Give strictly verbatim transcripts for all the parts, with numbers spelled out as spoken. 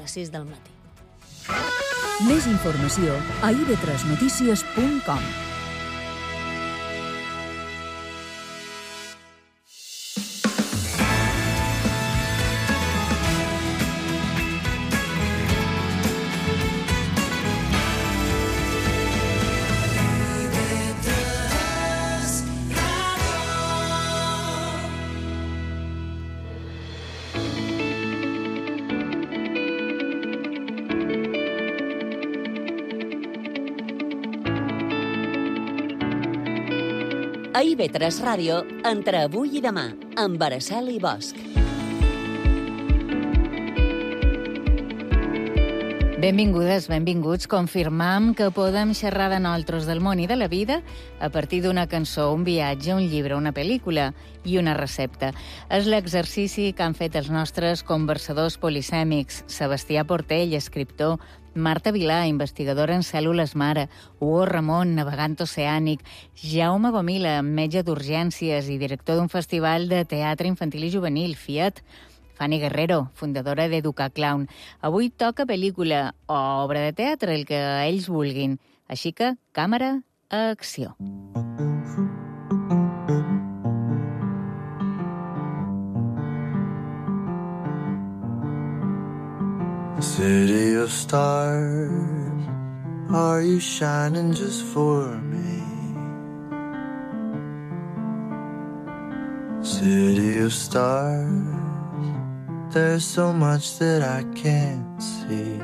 les sis del matí. Més informació a i ve tres notícies punt com. A i ve tres Ràdio, entre avui i demà, amb Araceli Bosch. Benvingudes, benvinguts. Confirmam que podem xerrar de nosaltres del món i de la vida a partir d'una cançó, un viatge, un llibre, una pel·lícula i una recepta. És l'exercici que han fet els nostres conversadors polisèmics, Sebastià Portell, escriptor, Marta Vilà, investigadora en cèl·lules mare, Hugo Ramon, navegant oceànic, Jaume Gomila, metge d'urgències i director d'un festival de teatre infantil i juvenil, Fiat, Fanny Guerrero, fundadora d'Educar Clown. Avui toca pel·lícula o obra de teatre, el que ells vulguin. Així que, càmera, acció. City of stars, are you shining just for me? City of stars, there's so much that I can't see.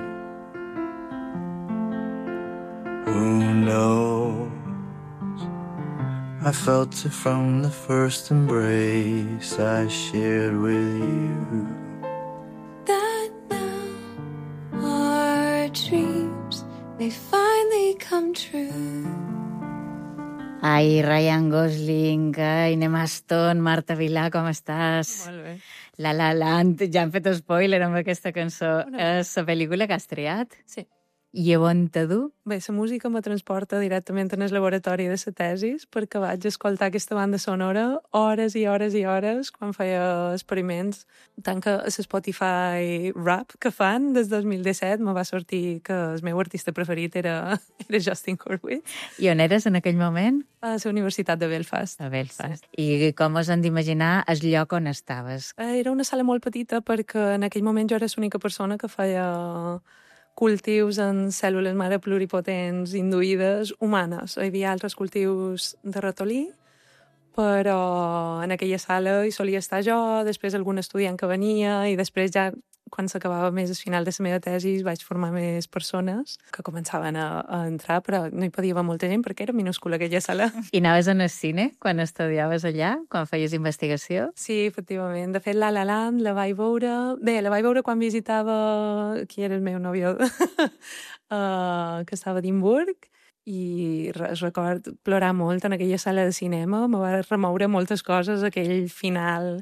Who knows? I felt it from the first embrace I shared with you. Dreams, they finally come true. Ai, Ryan Gosling, ai, Emma Stone, Marta Vilà, com estàs? Molt bé. La La Land, ja hem fet spoiler amb aquesta cançó. És la pel·lícula que has triat? Sí. I on te du? Bé, la música me transporta directament en el laboratori de la tesis perquè vaig escoltar aquesta banda sonora hores i hores i hores quan feia experiments. Tant que a Spotify Rap que fan des del dos mil disset me va sortir que el meu artista preferit era, era Justin Hurwitz. I on eres en aquell moment? A la Universitat de Belfast. A Belfast. Sí. I com us han d'imaginar el lloc on estaves? Era una sala molt petita perquè en aquell moment jo era l'única persona que feia cultius en cèl·lules mare pluripotents induïdes humanes. Hi havia altres cultius de ratolí, però en aquella sala hi solia estar jo, després algun estudiant que venia, i després ja, quan s'acabava més al final de la meva tesi, vaig formar més persones que començaven a, a entrar, però no hi podia haver molta gent perquè era minúscula aquella sala. I anaves en el cine quan estudiaves allà, quan feies investigació? Sí, efectivament. De fet, La La Land la vaig veure... Bé, la vaig veure quan visitava... Qui era el meu nòvio? uh, que estava a Edimburg, i record plorar molt en aquella sala de cinema. Me va remoure moltes coses, aquell final...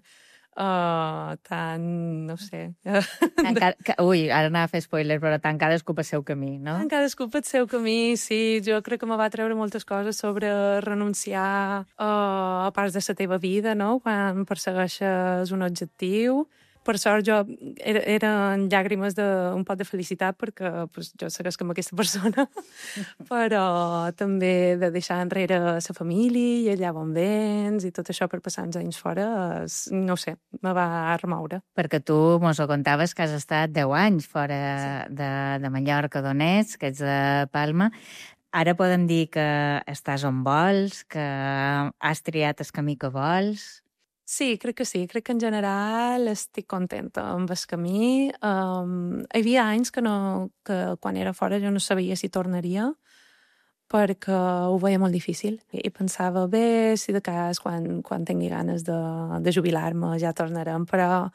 Uh, tan, no sé... Tant ca... Ui, ara anava a fer spoiler, però tant cadascú pel seu camí, no? Tant cadascú pel seu camí, sí. Jo crec que me va treure moltes coses sobre renunciar uh, a parts de la teva vida, no?, quan persegueixes un objectiu. Per sort, jo era, eren llàgrimes d'un pot de felicitat perquè pues, jo segueix amb aquesta persona, però també de deixar enrere la família i allà on vens i tot això per passar uns anys fora, no sé, me va remoure. Perquè tu mos ho contaves que has estat deu anys fora sí. de, de Mallorca, d'on ets, que ets de Palma. Ara podem dir que estàs on vols, que has triat el camí que vols... Sí, crec que sí. Crec que en general estic contenta amb el camí. Um, hi havia anys que, no, que quan era fora jo no sabia si tornaria perquè ho veia molt difícil. I pensava, bé, si de cas quan, quan tingui ganes de, de jubilar-me ja tornarem, però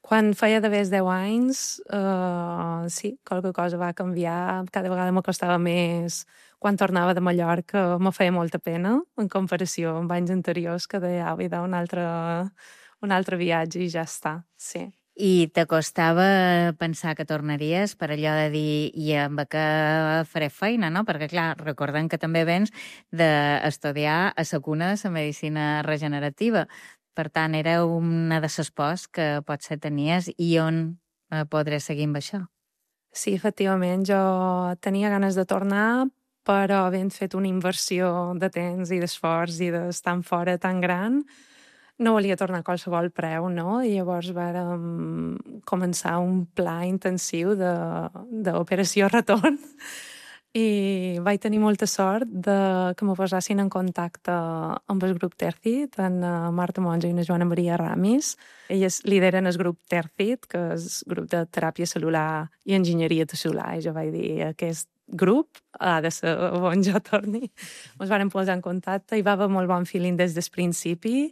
quan feia de més deu anys, uh, sí, qualque cosa va canviar. Cada vegada m'acostava més... Quan tornava de Mallorca me feia molta pena en comparació amb anys anteriors que deia, ah, un altre, un altre viatge i ja està, sí. I t'acostava pensar que tornaries per allò de dir i amb què faré feina, no? Perquè, clar, recordem que també vens d'estudiar a la cuna de la medicina regenerativa. Per tant, era una de les pors que potser tenies i on podré seguir amb això. Sí, efectivament, jo tenia ganes de tornar, però havent fet una inversió de temps i d'esforç i d'estar fora tan gran, no volia tornar a qualsevol preu, no? I llavors vàrem començar un pla intensiu d'operació retorn i vaig tenir molta sort de que me posassin en contacte amb el grup Tercit, en Marta Monja i una Joana Maria Ramis. Elles lideren el grup Tercit, que és el grup de teràpia cel·lular i enginyeria tissular, i jo vaig dir, aquest grup ha de ser on jo torni. Ens vàrem posar en contacte i va haver molt bon feeling des del principi,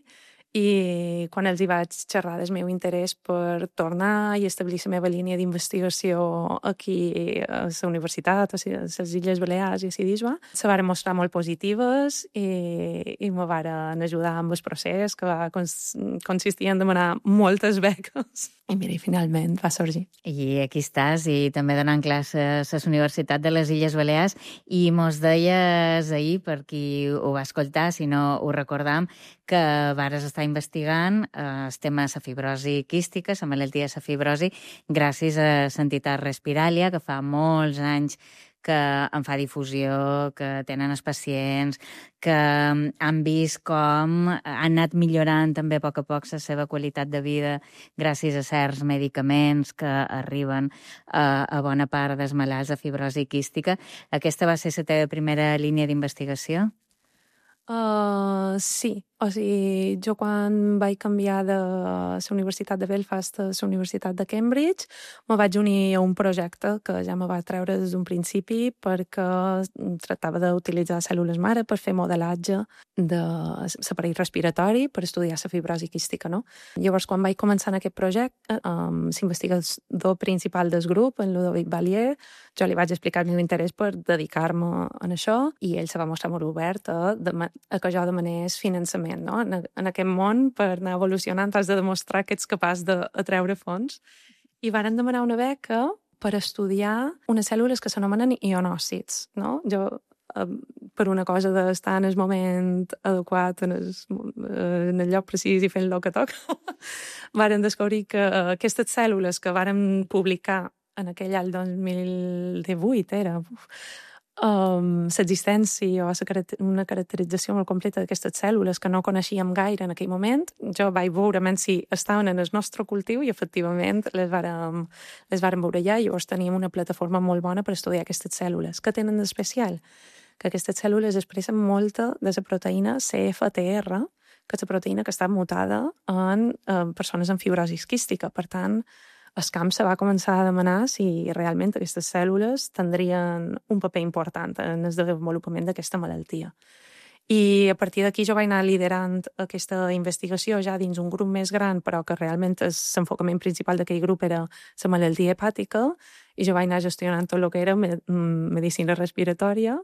i quan els hi vaig xerrar del meu interès per tornar i establir la meva línia d'investigació aquí a la universitat, a les Illes Balears i a Sidisba, se varen mostrar molt positives i, i me varen ajudar amb el procés, que va consistir en demanar moltes beques. I mira, i finalment va sorgir. I aquí estàs, i també donant classes a la Universitat de les Illes Balears, i mos deies ahir, per qui ho va escoltar, si no ho recordam, que vares estar investigant eh, el tema de la fibrosi quística, la malaltia de la fibrosi, gràcies a l'entitat Respiralia, que fa molts anys que en fa difusió, que tenen els pacients, que han vist com han anat millorant també a poc a poc la seva qualitat de vida gràcies a certs medicaments que arriben a, a bona part dels malalts de fibrosi quística. Aquesta va ser la teva primera línia d'investigació? Uh, sí, o sigui, jo quan vaig canviar de la Universitat de Belfast a la Universitat de Cambridge me vaig unir a un projecte que ja me va treure des d'un principi perquè tractava d'utilitzar cèl·lules mare per fer modelatge de l'aparell respiratori per estudiar la fibrosi quística, no? Llavors, quan vaig començar en aquest projecte, um, l'investigador principal del grup, en Ludovic Valier, jo li vaig explicar el meu interès per dedicar-me a això i ell se va mostrar molt obert a, a que jo demanés finançament, no? En, en aquest món, per anar evolucionant, has de demostrar que ets capaç d'atreure fons. I varen demanar una beca per estudiar unes cèl·lules que s'anomenen ionòcits, no? Jo, eh, per una cosa d'estar en el moment adequat, en el, en el lloc precís i fent el que toca, varen descobrir que aquestes cèl·lules que varen publicar en aquell any dos mil divuit, era... Um, l'existència o una caracterització molt completa d'aquestes cèl·lules que no coneixíem gaire en aquell moment. Jo vaig veure si estaven en el nostre cultiu i efectivament les vàrem, les vàrem veure ja, i llavors teníem una plataforma molt bona per estudiar aquestes cèl·lules. Què tenen d'especial? Que aquestes cèl·lules expressen molta de la proteïna C F T R, que és la proteïna que està mutada en, en persones amb fibrosi quística. Per tant, el camp se va començar a demanar si realment aquestes cèl·lules tindrien un paper important en el desenvolupament d'aquesta malaltia. I a partir d'aquí jo vaig anar liderant aquesta investigació ja dins un grup més gran, però que realment l'enfocament principal d'aquell grup era la malaltia hepàtica, i jo vaig anar gestionant tot el que era medicina respiratòria,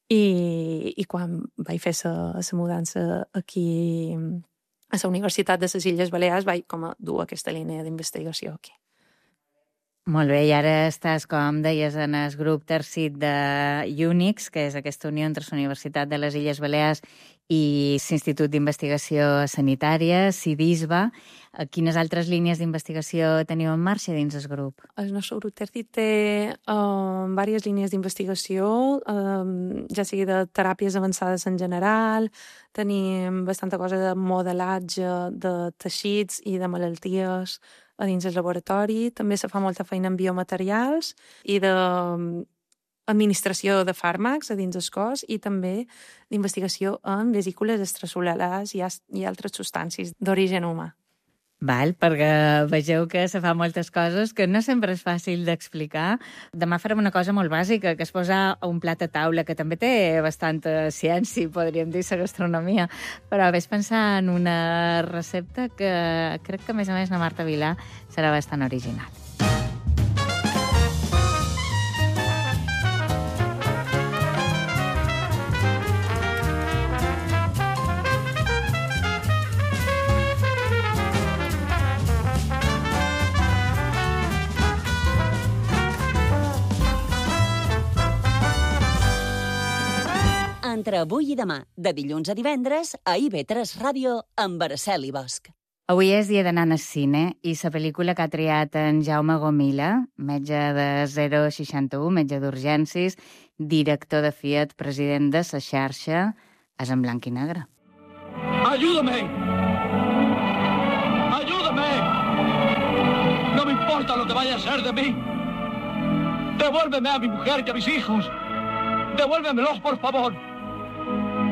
i, i quan vaig fer la mudança aquí a la Universitat de les Illes Balears vaig com a dur aquesta línia d'investigació aquí. Molt bé, i ara estàs, com deies, en el grup Tercit de UNIX, que és aquesta unió entre la Universitat de les Illes Balears i l'Institut d'Investigació Sanitària, Sidisba. Quines altres línies d'investigació teniu en marxa dins el grup? El nostre grup Tercit té uh, diverses línies d'investigació, uh, ja sigui de teràpies avançades en general, tenim bastanta cosa de modelatge de teixits i de malalties a dins el laboratori. També se fa molta feina en biomaterials i de administració de fàrmacs a dins el cos, i també d'investigació en vesícules extracel·lulars i, i altres substàncies d'origen humà. Val, perquè vegeu que se fa moltes coses que no sempre és fàcil d'explicar. Demà farem una cosa molt bàsica, que és posar un plat a taula, que també té bastanta ciència, podríem dir, la gastronomia, però ves pensar en una recepta que crec que, a més a més, la Marta Vilà serà bastant original. Entre avui i demà, de dilluns a divendres, a I V tres Ràdio, amb Araceli Bosch. Avui és dia d'anar al cine i la pel·lícula que ha triat en Jaume Gomila, metge de zero seixanta u, metge d'urgències, director de Fiat, president de la xarxa, és en blanc i negre. ¡Ayúdame! ¡Ayúdame! No me importa lo que vaya a ser de mí. Devuélveme a mi mujer y a mis hijos. Devuélvemelos, por favor.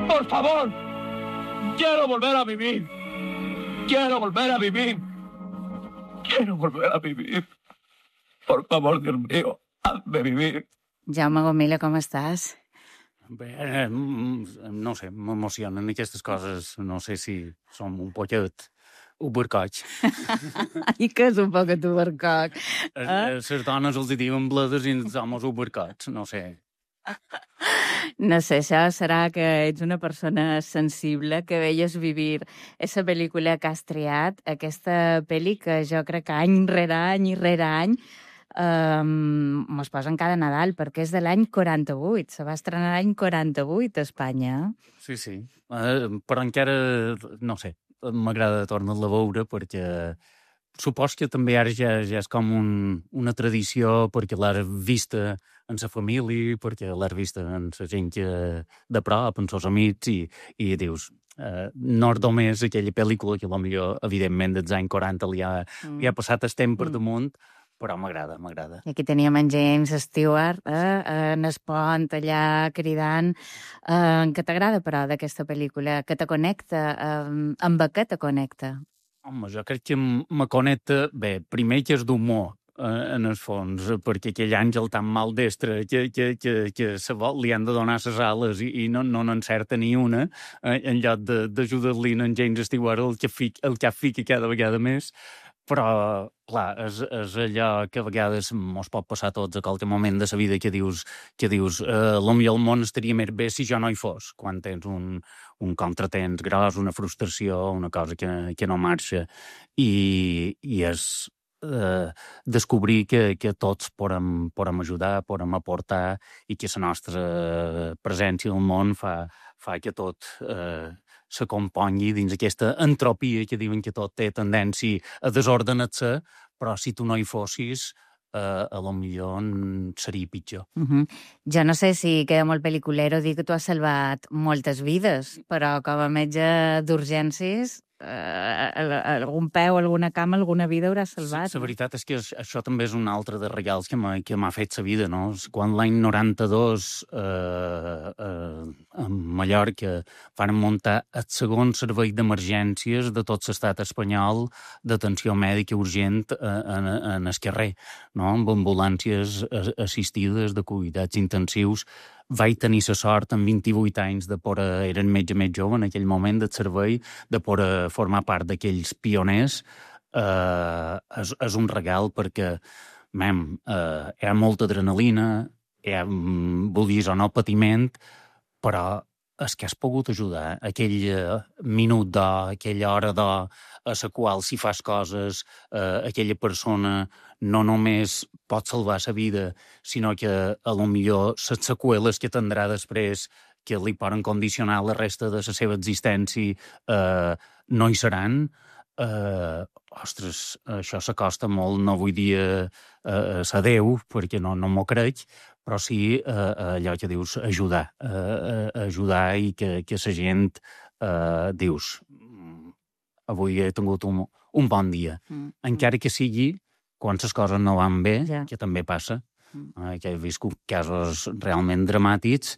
Por favor. Quiero volver a vivir. Quiero volver a vivir. Quiero volver a vivir. Por favor, Dios mío, hazme vivir. Jaume Gomila, com estàs? Bé, eh, no sé, m'emocionen aquestes coses. No sé si som un poquet ubercoig. I que és un poquet ubercoc? Eh? Les dones els diuen bledes i els homes ubercots, no sé. No sé, això serà que ets una persona sensible, que veies vivir aquesta pel·lícula que has triat, aquesta pel·li que jo crec que any rere any i rere any um, mos posen cada Nadal, perquè és de l'any quaranta-vuit, se va estrenar l'any quaranta-vuit a Espanya. Sí, sí, uh, però encara, no sé, m'agrada tornar-la a veure perquè supos que també ara ja, ja és com un, una tradició perquè l'has vista en sa família, perquè l'has vista en sa gent que, de prop, en sos amics, i, i dius, eh, no és només aquella pel·lícula que potser, evidentment, dels anys quaranta li ha, mm. li ha passat el temps per damunt, però m'agrada, m'agrada. I aquí teníem en James Stewart, eh, en el pont allà cridant. Eh, què t'agrada, però, d'aquesta pel·lícula? Que te connecta? Eh, amb què te connecta? Home, jo crec que me connecta, bé, primer que és d'humor, eh, en el fons, perquè aquell àngel tan maldestre que, que, que, que se vol, li han de donar ses ales i, i no, no n'encerta ni una, eh, en lloc d'ajudar-li en James Stewart el que, fic, el que fica cada vegada més. Però, clar, és, és allò que a vegades mos pot passar a tots a qualsevol moment de la vida que dius, que dius eh, potser el món estaria més bé si jo no hi fos, quan tens un, un contratemps gros, una frustració, una cosa que, que no marxa. I, i és eh, descobrir que, que tots podem, podem ajudar, podem aportar i que la nostra presència al món fa, fa que tot eh, se compongui dins aquesta entropia que diuen que tot té tendència a desordenar-se, però si tu no hi fossis, eh, a lo millor seria pitjor. Uh-huh. Jo no sé si queda molt pel·liculero dir que tu has salvat moltes vides, però com a metge d'urgències, eh, algun peu, alguna cama, alguna vida haurà salvat. La veritat és que això també és un altre de regals que m'ha fet la vida, no? Quan l'any noranta-dos eh, eh, a Mallorca van muntar el segon servei d'emergències de tot l'estat espanyol d'atenció mèdica urgent en, en el carrer, no? Amb ambulàncies assistides de cuidats intensius. Vaig tenir la sort, amb vint-i-vuit anys, de poder, era el metge més jove en aquell moment del servei, de poder formar part d'aquells pioners. Eh, és, és un regal perquè, mem, eh, hi ha molta adrenalina, hi ha, vulguis o no, patiment, però és que has pogut ajudar. Aquell minut d'or, aquella hora d'or, a la qual si fas coses, eh, aquella persona no només pot salvar la vida, sinó que a lo millor les seqüeles que tindrà després, que li poden condicionar la resta de la seva existència, eh, no hi seran. Eh, ostres, això s'acosta molt, no vull dir eh, a Déu, perquè no, no m'ho crec, però sí eh, allò que dius, ajudar, eh, ajudar i que, que la gent eh, dius, avui he tingut un, un bon dia. Mm. Encara que sigui quan les coses no van bé, ja. Que també passa, mm. eh, que he viscut casos realment dramàtics,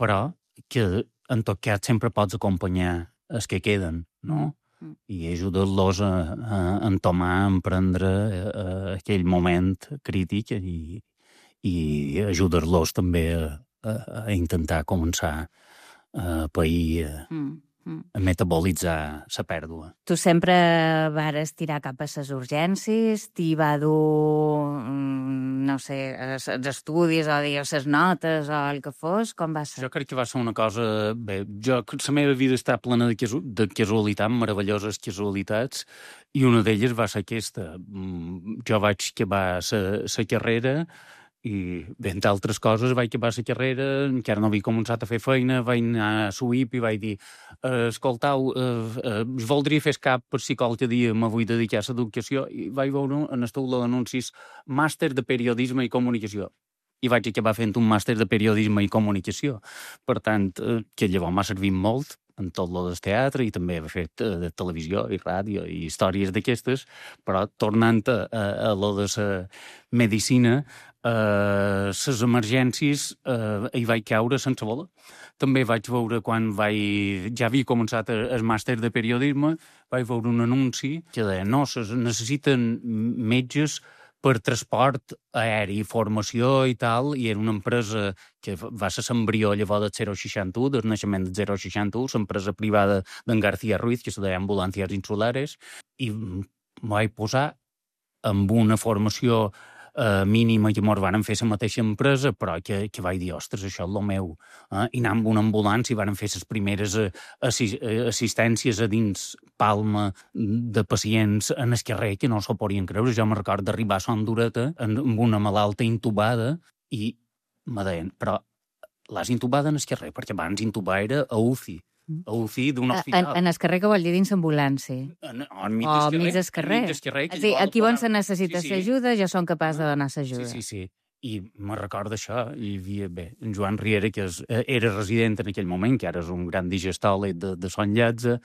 però que en tot cas sempre pots acompanyar els que queden, no? Mm. I ajudar-los a, a entomar, a emprendre a, a aquell moment crític i, i ajudar-los també a, a, a intentar començar a pair, a, mm. a metabolitzar la pèrdua. Tu sempre vares tirar cap a les urgències, t'hi va dur, no sé, els estudis o les notes o el que fos, com va ser? Jo crec que va ser una cosa... Bé, jo, la meva vida està plena de, casu de casualitats, meravelloses casualitats, i una d'elles va ser aquesta. Jo vaig acabar la carrera I, bé, entre altres coses, vaig acabar la carrera, encara no havia començat a fer feina, vaig anar a S U I P i vaig dir eh, escoltau, eh, eh, voldria fer cap per si qualque dia me vull dedicar a l'educació, i vaig veure en el tauló d'anuncis màster de periodisme i comunicació. I vaig acabar fent un màster de periodisme i comunicació. Per tant, eh, que llavors m'ha servit molt en tot lo del teatre i també he fet eh, de televisió i ràdio i històries d'aquestes, però tornant a, a, a lo de la medicina, les uh, emergències uh, hi vaig caure sense voler. També vaig veure quan vaig... ja havia començat el màster de periodisme, vaig veure un anunci que deia no, se necessiten metges per transport aeri, formació i tal, i era una empresa que va ser l'embrió llavors del zero seixanta u, del naixement del zero seixanta u, l'empresa privada d'en García Ruiz, que se deia Ambulancias Insulares, i m'ho vaig posar amb una formació Uh, mínima que mos van fer la mateixa empresa, però que, que vaig dir, ostres, això és el meu. Eh? I anar amb una ambulància i van fer les primeres uh, assi assistències a dins Palma de pacients en el carrer que no s'ho podien creure. Jo me recordo d'arribar a Son Dureta amb una malalta intubada i me deien, però l'has intubada en el carrer, perquè abans intubar era a U C I. A U C I d'un hospital. En, en el carrer, que vol dir dins ambulància? En, en mig o mig del carrer. carrer sí, aquí on se necessita sí, sí. l'ajuda, jo som capaç de donar l'ajuda. Sí, sí, sí. I me recordo això, hi havia, bé, en Joan Riera, que és, era resident en aquell moment, que ara és un gran digestòleg de, de Son Lletze,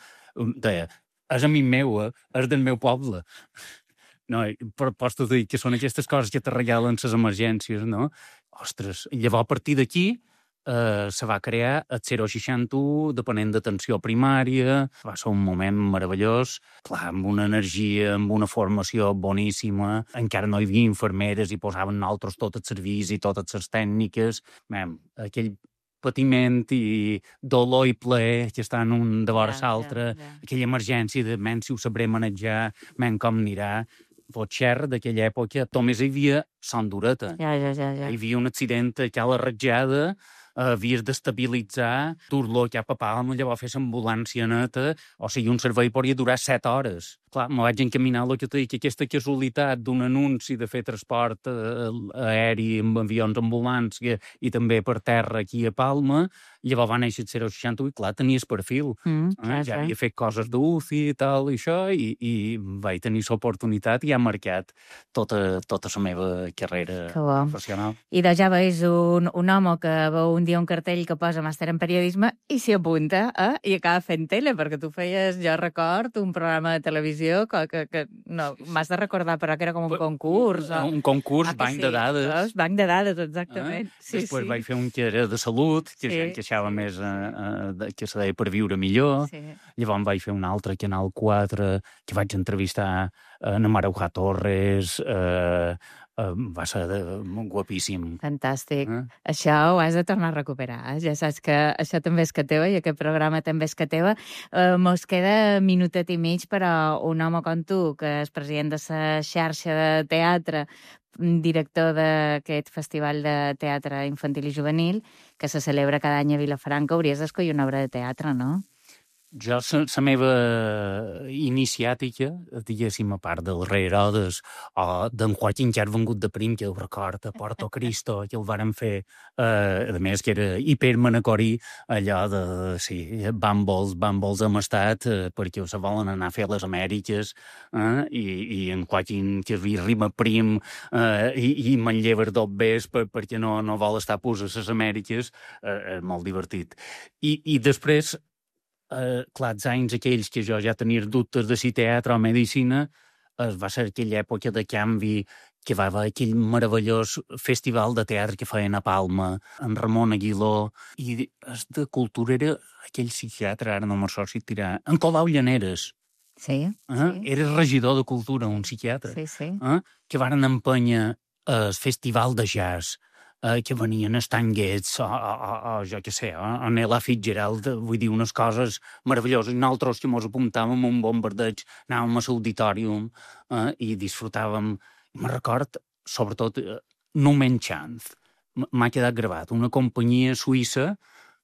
deia, és amic meu, eh? És del meu poble. No, però pots dir que són aquestes coses que te regalen les emergències, no? Ostres, llavors a partir d'aquí Uh, se va crear el zero seixanta u, depenent d'atenció primària. Va ser un moment meravellós, clar, amb una energia, amb una formació boníssima. Encara no hi havia infermeres i posaven nosaltres tot el servís i totes les tècniques. Mem, aquell patiment i dolor i plaer que estan un de vora ja, l'altre, ja, ja. Aquella emergència de men si ho sabré manejar, men com anirà. Potxer d'aquella època, només hi havia Son Dureta. Ja, ja, ja, ja. Hi havia un accident a Cala Ratjada, havies d'estabilitzar, dur-lo cap a Palma, llavors fer l'ambulància neta, o sigui, un servei podria durar set hores. Clar, me vaig encaminar el que t'he dit, que aquesta casualitat d'un anunci de fer transport aeri amb avions ambulància i també per terra aquí a Palma, llavors va néixer el zero seixanta u i clar, tenies perfil. Mm, eh? Ja havia fet coses d'U C I i tal, i això, i, i vaig tenir l'oportunitat i ha marcat tota, tota la meva carrera professional. I de ja veus un, un home que veu un dia un cartell que posa màster en periodisme i s'hi apunta, eh? I acaba fent tele, perquè tu feies, jo record, un programa de televisió que, que, que no, m'has de recordar, però que era com un concurs. O... Un concurs, ah, banc sí, de dades. Veus? Banc de dades, exactament. Ah, sí, després sí. vaig fer un que era de salut, que sí, gent queixava sí. més, eh, que se deia per viure millor. Sí. Llavors vaig fer un altre, Canal quatre, que vaig entrevistar en Maruja Torres, eh, Uh, va ser de, guapíssim. Fantàstic. Eh? Això ho has de tornar a recuperar. Ja saps que això també és que teva i aquest programa també és que teva. Uh, mos queda minutet i mig, però un home com tu, que és president de la xarxa de teatre, director d'aquest festival de teatre infantil i juvenil, que se celebra cada any a Vilafranca, hauries d'escollir una obra de teatre, no? Jo, la meva iniciàtica, diguéssim, a part del rei Herodes o d'en Joaquín, que ha vengut de prim, que el record, a Porto Cristo, que el varen fer, eh, a més, que era hipermanacorí, allò de, sí, bàmbols, bàmbols amb estat, eh, perquè se volen anar a fer les Amèriques, eh, i, i en Joaquín, que rima prim, eh, i, i manllever dos bes per, perquè no, no vol estar pus a les Amèriques, eh, és molt divertit. I, i després, Uh, clar, els anys aquells que jo ja tenia dubtes de si teatre o medicina, uh, va ser aquella època de canvi que va haver aquell meravellós festival de teatre que feien a Palma, en Ramon Aguiló, i es de cultura era aquell psiquiatre, ara no me'n sortirà, en Colau Llaneres. Sí, uh, sí. Era regidor de cultura, un psiquiatre, sí, sí. Uh, que varen empènyer el festival de jazz, Uh, que venien Stan Getz o, o, o, o jo què sé, o, o Ella Fitzgerald, vull dir, unes coses meravelloses. I nosaltres que mos apuntàvem un bombardeig, anàvem a l'auditorium uh, i disfrutàvem. I me'n record, sobretot, uh, Numen Chance. M'ha quedat gravat. Una companyia suïssa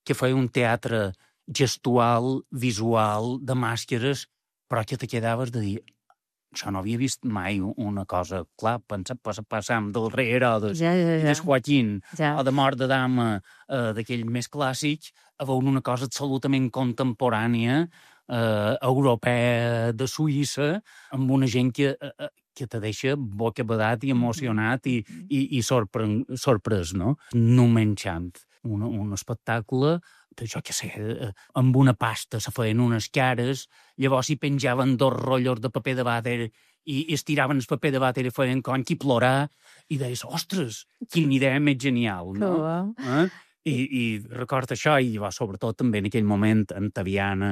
que feia un teatre gestual, visual, de màscares, però que te quedaves de dir això no havia vist mai una cosa, clar, pensar, passam del rei Herodes ja, ja, ja. i del Joaquín ja. o de Mort de Dama, eh, d'aquell més clàssic, a veure una cosa absolutament contemporània, eh, europea de Suïssa, amb una gent que, eh, que te deixa bocabadat i emocionat i, i, i sorpre, sorprès, no? No menjant. Un, un espectacle, jo què sé, amb una pasta se feien unes cares, llavors hi penjaven dos rotllos de paper de vàter i, i estiraven el paper de vàter i feien com qui plorar, i deies, ostres, quina idea més genial, no? Eh? I, i recordo això, i va, sobretot també en aquell moment en Taviana,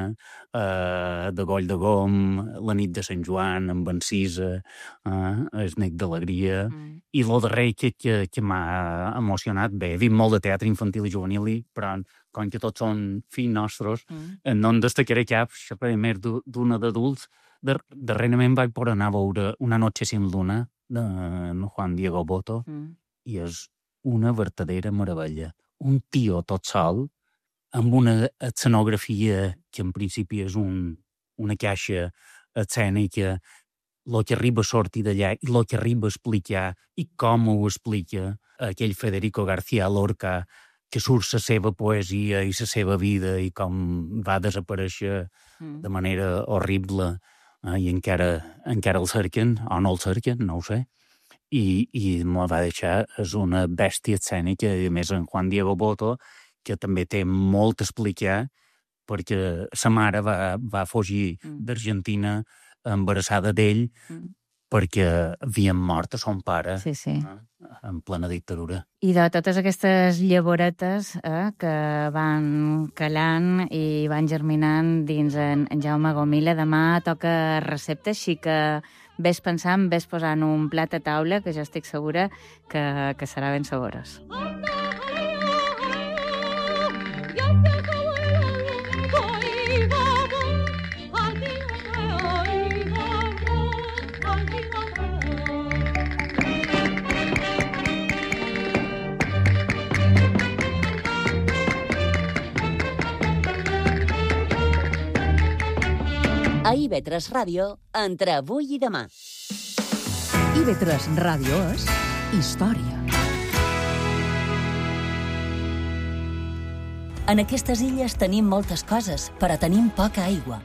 eh, de Goll de Gom, la nit de Sant Joan, amb Encisa, eh, el Nec d'Alegria, mm. i lo darrer que, que, que m'ha emocionat, bé, he vist molt de teatre infantil i juvenil, però com que tots són fills nostres, mm. no en destacaré cap, això per més d'una d'adults. Darrerament vaig poder anar a veure Una noche sin luna, de Juan Diego Boto, mm. i és una vertadera meravella. Un tio tot sol, amb una escenografia que en principi és un, una caixa escènica, el que arriba a sortir d'allà i el que arriba a explicar i com ho explica aquell Federico García Lorca, que surt la seva poesia i la seva vida i com va desaparèixer mm. de manera horrible, eh, i encara, encara el cerquen, o no el cerquen, no ho sé. I, i me va deixar, és una bèstia escènica, i a més en Juan Diego Boto, que també té molt a explicar, perquè sa mare va, va fugir mm. d'Argentina embarassada d'ell, mm. perquè havien mort a son pare, sí, sí. Eh, en plena dictadura. I de totes aquestes llavoretes eh, que van calant i van germinant dins en, en Jaume Gomila, demà toca recepta, així que ves pensant, ves posant un plat a taula, que jo estic segura que, que serà ben saborós. A I V tres Ràdio, entre avui i demà. I V tres Ràdio és història. En aquestes illes tenim moltes coses, però tenim poca aigua.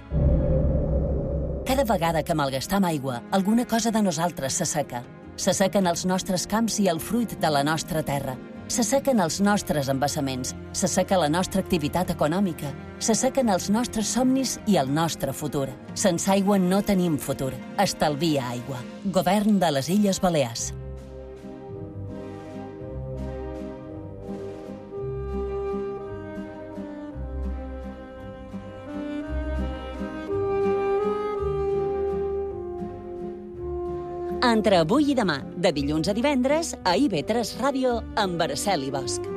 Cada vegada que malgastam aigua, alguna cosa de nosaltres s'asseca. S'assequen els nostres camps i el fruit de la nostra terra. S'assequen els nostres embassaments, s'asseca la nostra activitat econòmica, s'assequen els nostres somnis i el nostre futur. Sense aigua no tenim futur. Estalvia aigua. Govern de les Illes Balears. Entre avui i demà, de dilluns a divendres, a I V tres Ràdio, amb Araceli Bosch.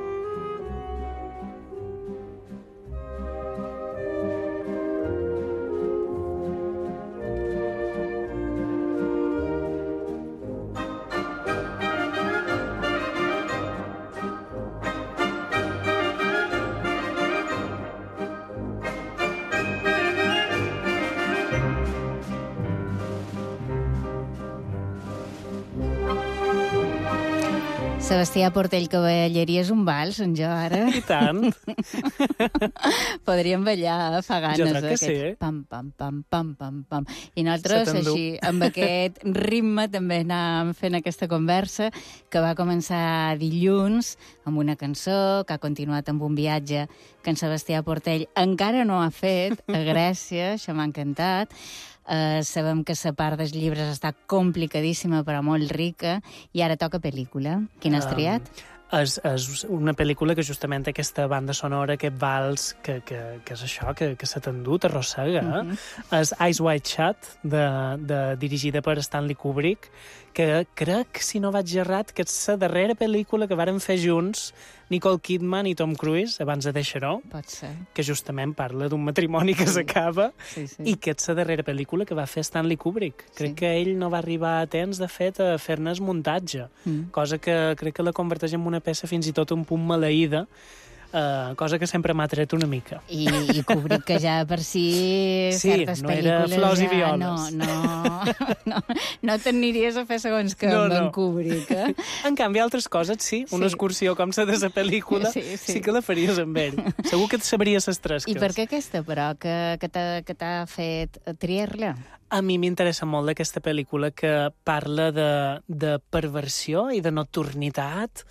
Sebastià Portell Cavalleries un vals, en jo, ara. I tant. Podríem ballar fa ganes. Jo crec que sí. Pam, pam, pam, pam, pam, pam. I nosaltres, així, amb aquest ritme, també anàvem fent aquesta conversa, que va començar dilluns amb una cançó, que ha continuat amb un viatge que en Sebastià Portell encara no ha fet, a Grècia, això m'ha encantat. Uh, sabem que la part dels llibres està complicadíssima però molt rica, i ara toca pel·lícula. Quina has triat? Um, és, és una pel·lícula que justament té aquesta banda sonora, aquest vals, que, que, que és això, que, que se t'endú, t'arrossega. Mm -hmm. És Eyes Wide Shut, de, de, dirigida per Stanley Kubrick, que crec, si no vaig errat, que és la darrera pel·lícula que varen fer junts Nicole Kidman i Tom Cruise, abans de Deixaró, Pot ser. que justament parla d'un matrimoni que s'acaba, sí, sí. i que és la darrera pel·lícula que va fer Stanley Kubrick. Crec sí. que ell no va arribar a temps, de fet, a fer-ne el muntatge, mm. cosa que crec que la converteix en una peça fins i tot un punt maleïda, uh, cosa que sempre m'ha tret una mica. I, i Kubrick, que ja per si sí, certes no pel·lícules era flors ja i violes. no, no, no, no t'aniries a fer segons que no, amb no. en Kubrick, eh? En canvi, altres coses, sí. Una Sí. excursió com la de la pel·lícula, Sí, sí. sí que la faries amb ell. Segur que et sabries les tresques. I per què aquesta, però, que, que t'ha que t'ha fet triar-la? A mi m'interessa molt aquesta pel·lícula que parla de, de perversió i de nocturnitat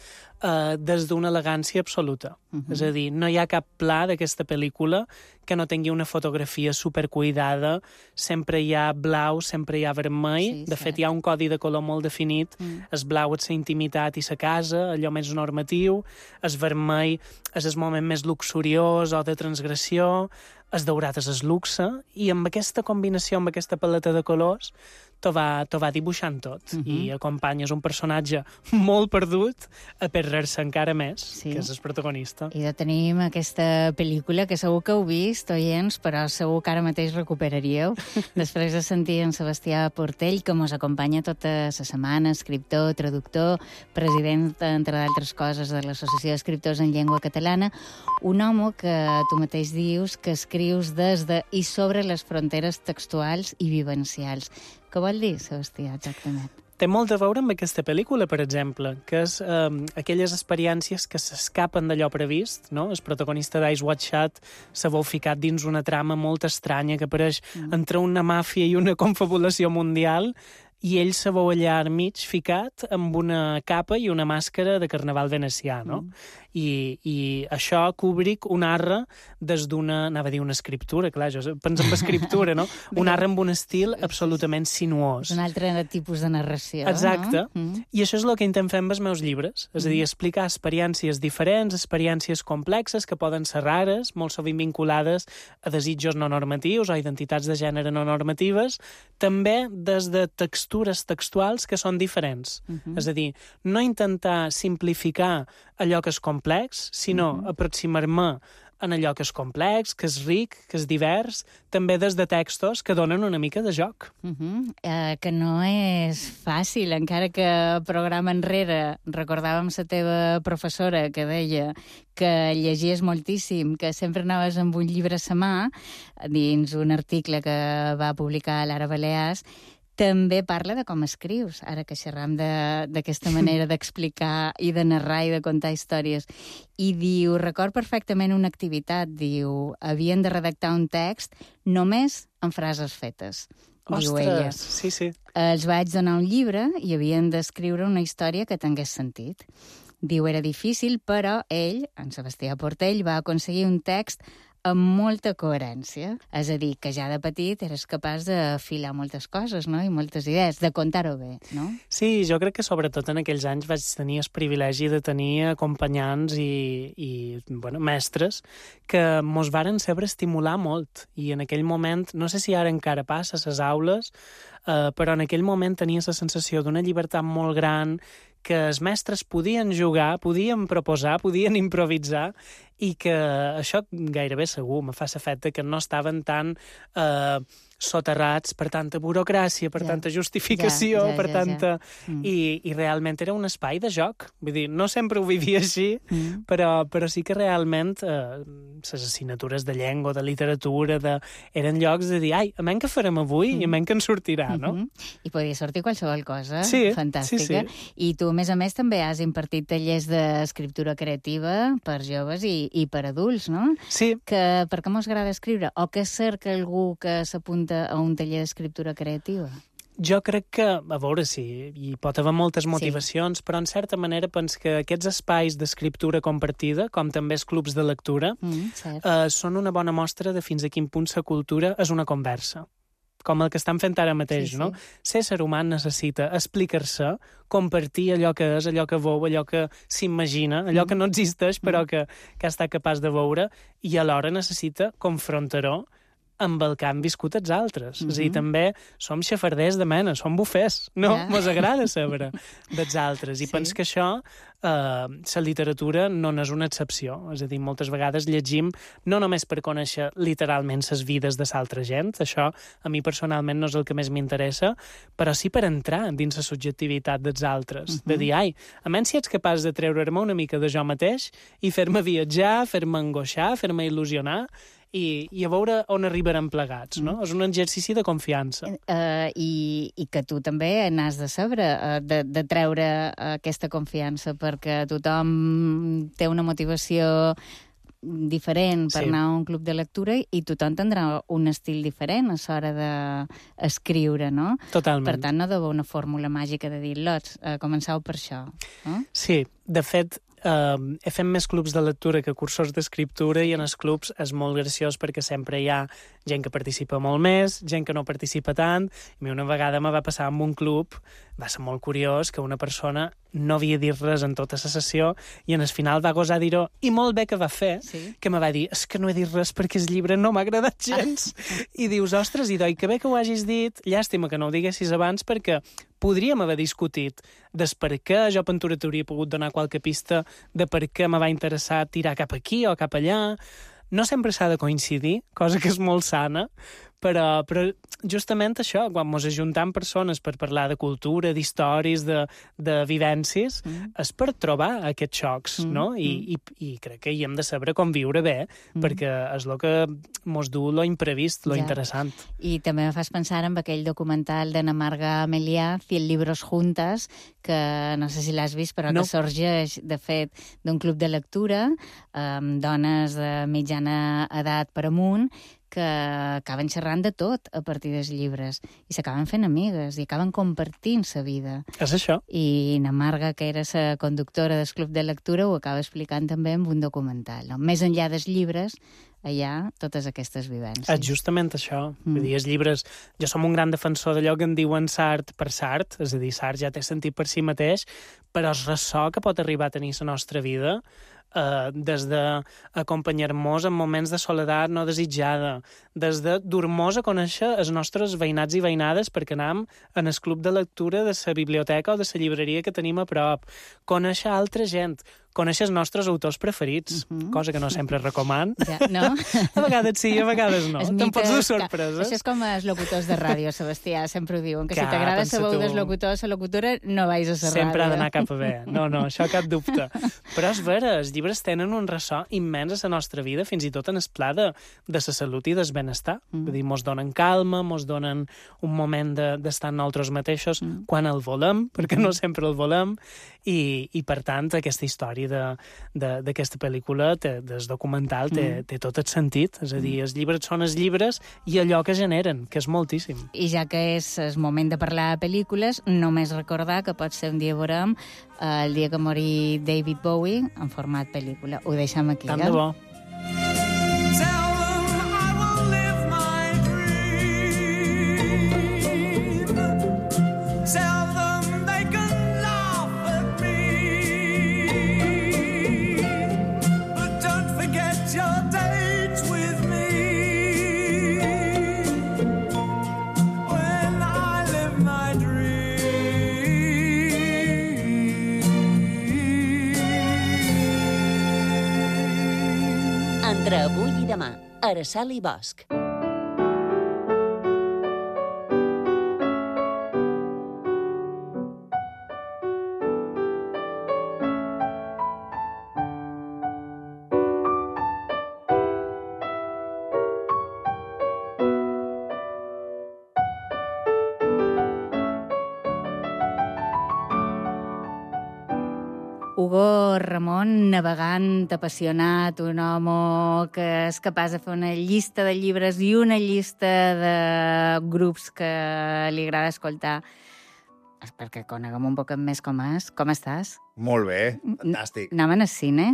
eh, des d'una elegància absoluta. Uh -huh. És a dir, no hi ha cap pla d'aquesta pel·lícula que no tingui una fotografia supercuidada, sempre hi ha blau, sempre hi ha vermell, Sí, de cert. fet hi ha un codi de color molt definit, Mm. el blau és la intimitat i la casa, allò més normatiu, el vermell és el moment més luxuriós o de transgressió, el daurat és el luxe, i amb aquesta combinació, amb aquesta paleta de colors, t'ho va, t'ho va dibuixant tot. Mhm. I acompanyes un personatge molt perdut a perdre-se encara més, Sí. que és el protagonista. I de tenim aquesta pel·lícula que segur que heu vist, oients, però segur que ara mateix recuperaríeu. Després de sentir en Sebastià Portell, que mos acompanya tota la setmana, escriptor, traductor, president, entre d'altres coses, de l'Associació d'Escriptors en Llengua Catalana, un home que tu mateix dius que escrius des de i sobre les fronteres textuals i vivencials. Què vol dir, Sebastià, exactament? Té molt a veure amb aquesta pel·lícula, per exemple, que és eh, aquelles experiències que s'escapen d'allò previst, no? El protagonista d'Eyes Wide Shut se veu ficat dins una trama molt estranya que apareix mm. entre una màfia i una confabulació mundial, i ell se veu allà al mig ficat amb una capa i una màscara de carnaval venecià, no? Mm. I, I això Kubrick ho narra des d'una, anava a dir una escriptura, clar, jo penso en escriptura, no? Ho narra amb un estil absolutament sinuós. És un altre tipus de narració, Exacte. no? Mm. I això és el que intentem fer amb els meus llibres, és a dir, explicar experiències diferents, experiències complexes que poden ser rares, molt sovint vinculades a desitjos no normatius o identitats de gènere no normatives, també des de textures textuals que són diferents. Mhm. És a dir, no intentar simplificar allò que és complex, sinó Mhm. aproximar-me en allò que és complex, que és ric, que és divers, també des de textos que donen una mica de joc. Uh -huh. uh, que no és fàcil, encara que programa enrere recordàvem la teva professora que deia que llegies moltíssim, que sempre anaves amb un llibre a la mà, dins un article que va publicar a l'Ara Balears, també parla de com escrius, ara que xerram d'aquesta manera d'explicar i de narrar i de contar històries. I diu, record perfectament una activitat, diu, havien de redactar un text només amb frases fetes. Diu ella. Ostres, sí, sí. Els vaig donar un llibre i havien d'escriure una història que tingués sentit. Diu, era difícil, però ell, en Sebastià Portell, va aconseguir un text amb molta coherència. És a dir, que ja de petit eres capaç d'afilar moltes coses, no? I moltes idees, de contar-ho bé, no? Sí, jo crec que sobretot en aquells anys vaig tenir el privilegi de tenir acompanyants i, i bueno, mestres que mos varen saber estimular molt. I en aquell moment, no sé si ara encara passa a les aules, eh, però en aquell moment tenia la sensació d'una llibertat molt gran, que els mestres podien jugar, podien proposar, podien improvisar, i que això gairebé segur me fa l'efecte que no estaven tan eh, soterrats per tanta burocràcia, per Ja. tanta justificació, Ja, ja, per ja, tanta... ja. Mm. I, I realment era un espai de joc. Vull dir, no sempre ho vivia així, Mm. però, però sí que realment eh, les assignatures de llengua, de literatura, de... eren llocs de dir, ai, a menys que farem avui mm. i a menys que en sortirà, no? Mm-hmm. I podia sortir qualsevol cosa Sí, fantàstica. sí, sí. I tu, a més a més, també has impartit tallers d'escriptura creativa per joves i, i per adults, no? Sí, Que, per què mos agrada escriure? O què cerca algú que s'apunta a un taller d'escriptura creativa? jo crec que, a veure si hi pot haver moltes motivacions, sí. però en certa manera penso que aquests espais d'escriptura compartida, com també els clubs de lectura, Mm, cert. eh, són una bona mostra de fins a quin punt la cultura és una conversa, com el que estan fent ara mateix, Sí, sí. no? Ser ser humà necessita explicar-se, compartir allò que és, allò que veu, allò que s'imagina, allò Mm. que no existeix, però Mm. que, que ha estat capaç de veure, i alhora necessita confrontar-ho amb el que han viscut els altres. Mhm. És a dir, també som xafarders de mena, som bufers, no? Ja. Mos agrada saber dels altres. I Sí. penso que això, eh, la literatura no n'és una excepció. És a dir, moltes vegades llegim no només per conèixer literalment les vides de l'altra gent, això a mi personalment no és el que més m'interessa, però sí per entrar dins la subjectivitat dels altres. Mhm. De dir, ai, a menys si ets capaç de treure-me una mica de jo mateix i fer-me viatjar, fer-me angoixar, fer-me il·lusionar, i, i a veure on arribarem plegats, no? Mm. És un exercici de confiança. Uh, i, I que tu també n'has de saber, uh, de, de treure aquesta confiança, perquè tothom té una motivació diferent per Sí. anar a un club de lectura i tothom tindrà un estil diferent a l'hora d'escriure, no? Totalment. Per tant, no deu haver una fórmula màgica de dir, lots, uh, començau per això. No? Sí, de fet, Uh, he fet més clubs de lectura que cursos d'escriptura i en els clubs és molt graciós perquè sempre hi ha gent que participa molt més, gent que no participa tant. I a mi una vegada me va passar amb un club, va ser molt curiós, que una persona no havia dit res en tota la sessió i en el final va gosar dir-ho, i molt bé que va fer, Sí. que me va dir, és que no he dit res perquè el llibre no m'ha agradat gens. I dius, ostres, i doi, que bé que ho hagis dit, llàstima que no ho diguessis abans perquè podríem haver discutit des per què jo Pintura t'hauria pogut donar qualque pista de per què me va interessar tirar cap aquí o cap allà. No sempre s'ha de coincidir, cosa que és molt sana, però, però justament això, quan ens ajuntem persones per parlar de cultura, d'històries, de, de vivències, mm. és per trobar aquests xocs, mm. no? I, i, I crec que hi hem de saber conviure bé, mm. perquè és el que mos du lo imprevist, lo Ja. interessant. I també me fas pensar en aquell documental d'Ana Marga Amelià, Cien libros juntas, que no sé si l'has vist, però No. que sorgeix, de fet, d'un club de lectura amb dones de mitjana edat per amunt que acaben xerrant de tot a partir dels llibres i s'acaben fent amigues i acaben compartint sa vida. És això. I na Marga, que era la conductora del club de lectura, ho acaba explicant també en un documental. No? Més enllà dels llibres, hi ha totes aquestes vivències. És justament això. Mm. Vull dir, els llibres... Jo som un gran defensor d'allò que en diuen Sart per Sart, és a dir, Sart ja té sentit per si mateix, però el ressò que pot arribar a tenir la nostra vida, eh, des d'acompanyar-nos en moments de soledat no desitjada, des de dur-nos a conèixer els nostres veïnats i veïnades perquè anam en el club de lectura de la biblioteca o de la llibreria que tenim a prop, conèixer altra gent, conèixer els nostres autors preferits, uh -huh. cosa que no sempre recoman. Ja, no? A vegades sí, a vegades no. Te'n pots dur sorpreses. Això és com els locutors de ràdio, Sebastià, sempre ho diuen, que Clar, si t'agrada pensa la veu tu. dels locutors, la locutora, no vais a la ràdio. Sempre ha d'anar cap a bé. No, no, això cap dubte. Però és vera, els llibres tenen un ressò immens a la nostra vida, fins i tot en el pla de, de la salut i del benestar. Mm. Vull dir, mos donen calma, mos donen un moment d'estar de, en nosaltres mateixos mm. quan el volem, perquè no sempre el volem, i, i per tant, aquesta història de, de, d'aquesta pel·lícula, té, del documental, té, mm. té tot el sentit. És a dir, els llibres són els llibres i allò que generen, que és moltíssim. I ja que és el moment de parlar de pel·lícules, només recordar que pot ser un dia veurem eh, el dia que mori David Bowie en format pel·lícula. Ho deixem aquí, Tant eh? de bo. Entre avui i demà, Araçal i Bosch. Hugo Ramon, navegant, apassionat, un home que és capaç de fer una llista de llibres i una llista de grups que li agrada escoltar. És perquè coneguem un poc més com és. Com estàs? Molt bé, fantàstic. Anem al cine.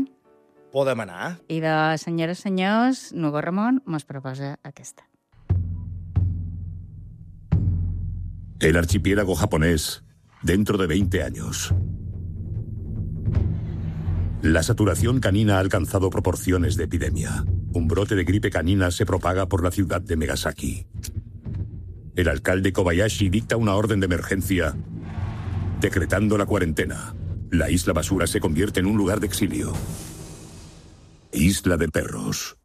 Podem anar? I de senyores i senyors, Hugo Ramon mos proposa aquesta. El archipiélago japonés, dentro de veinte años. La saturación canina ha alcanzado proporciones de epidemia. un brote de gripe canina se propaga por la ciudad de Megasaki. El alcalde Kobayashi dicta una orden de emergencia, decretando la cuarentena. La isla basura se convierte en un lugar de exilio. Isla de perros.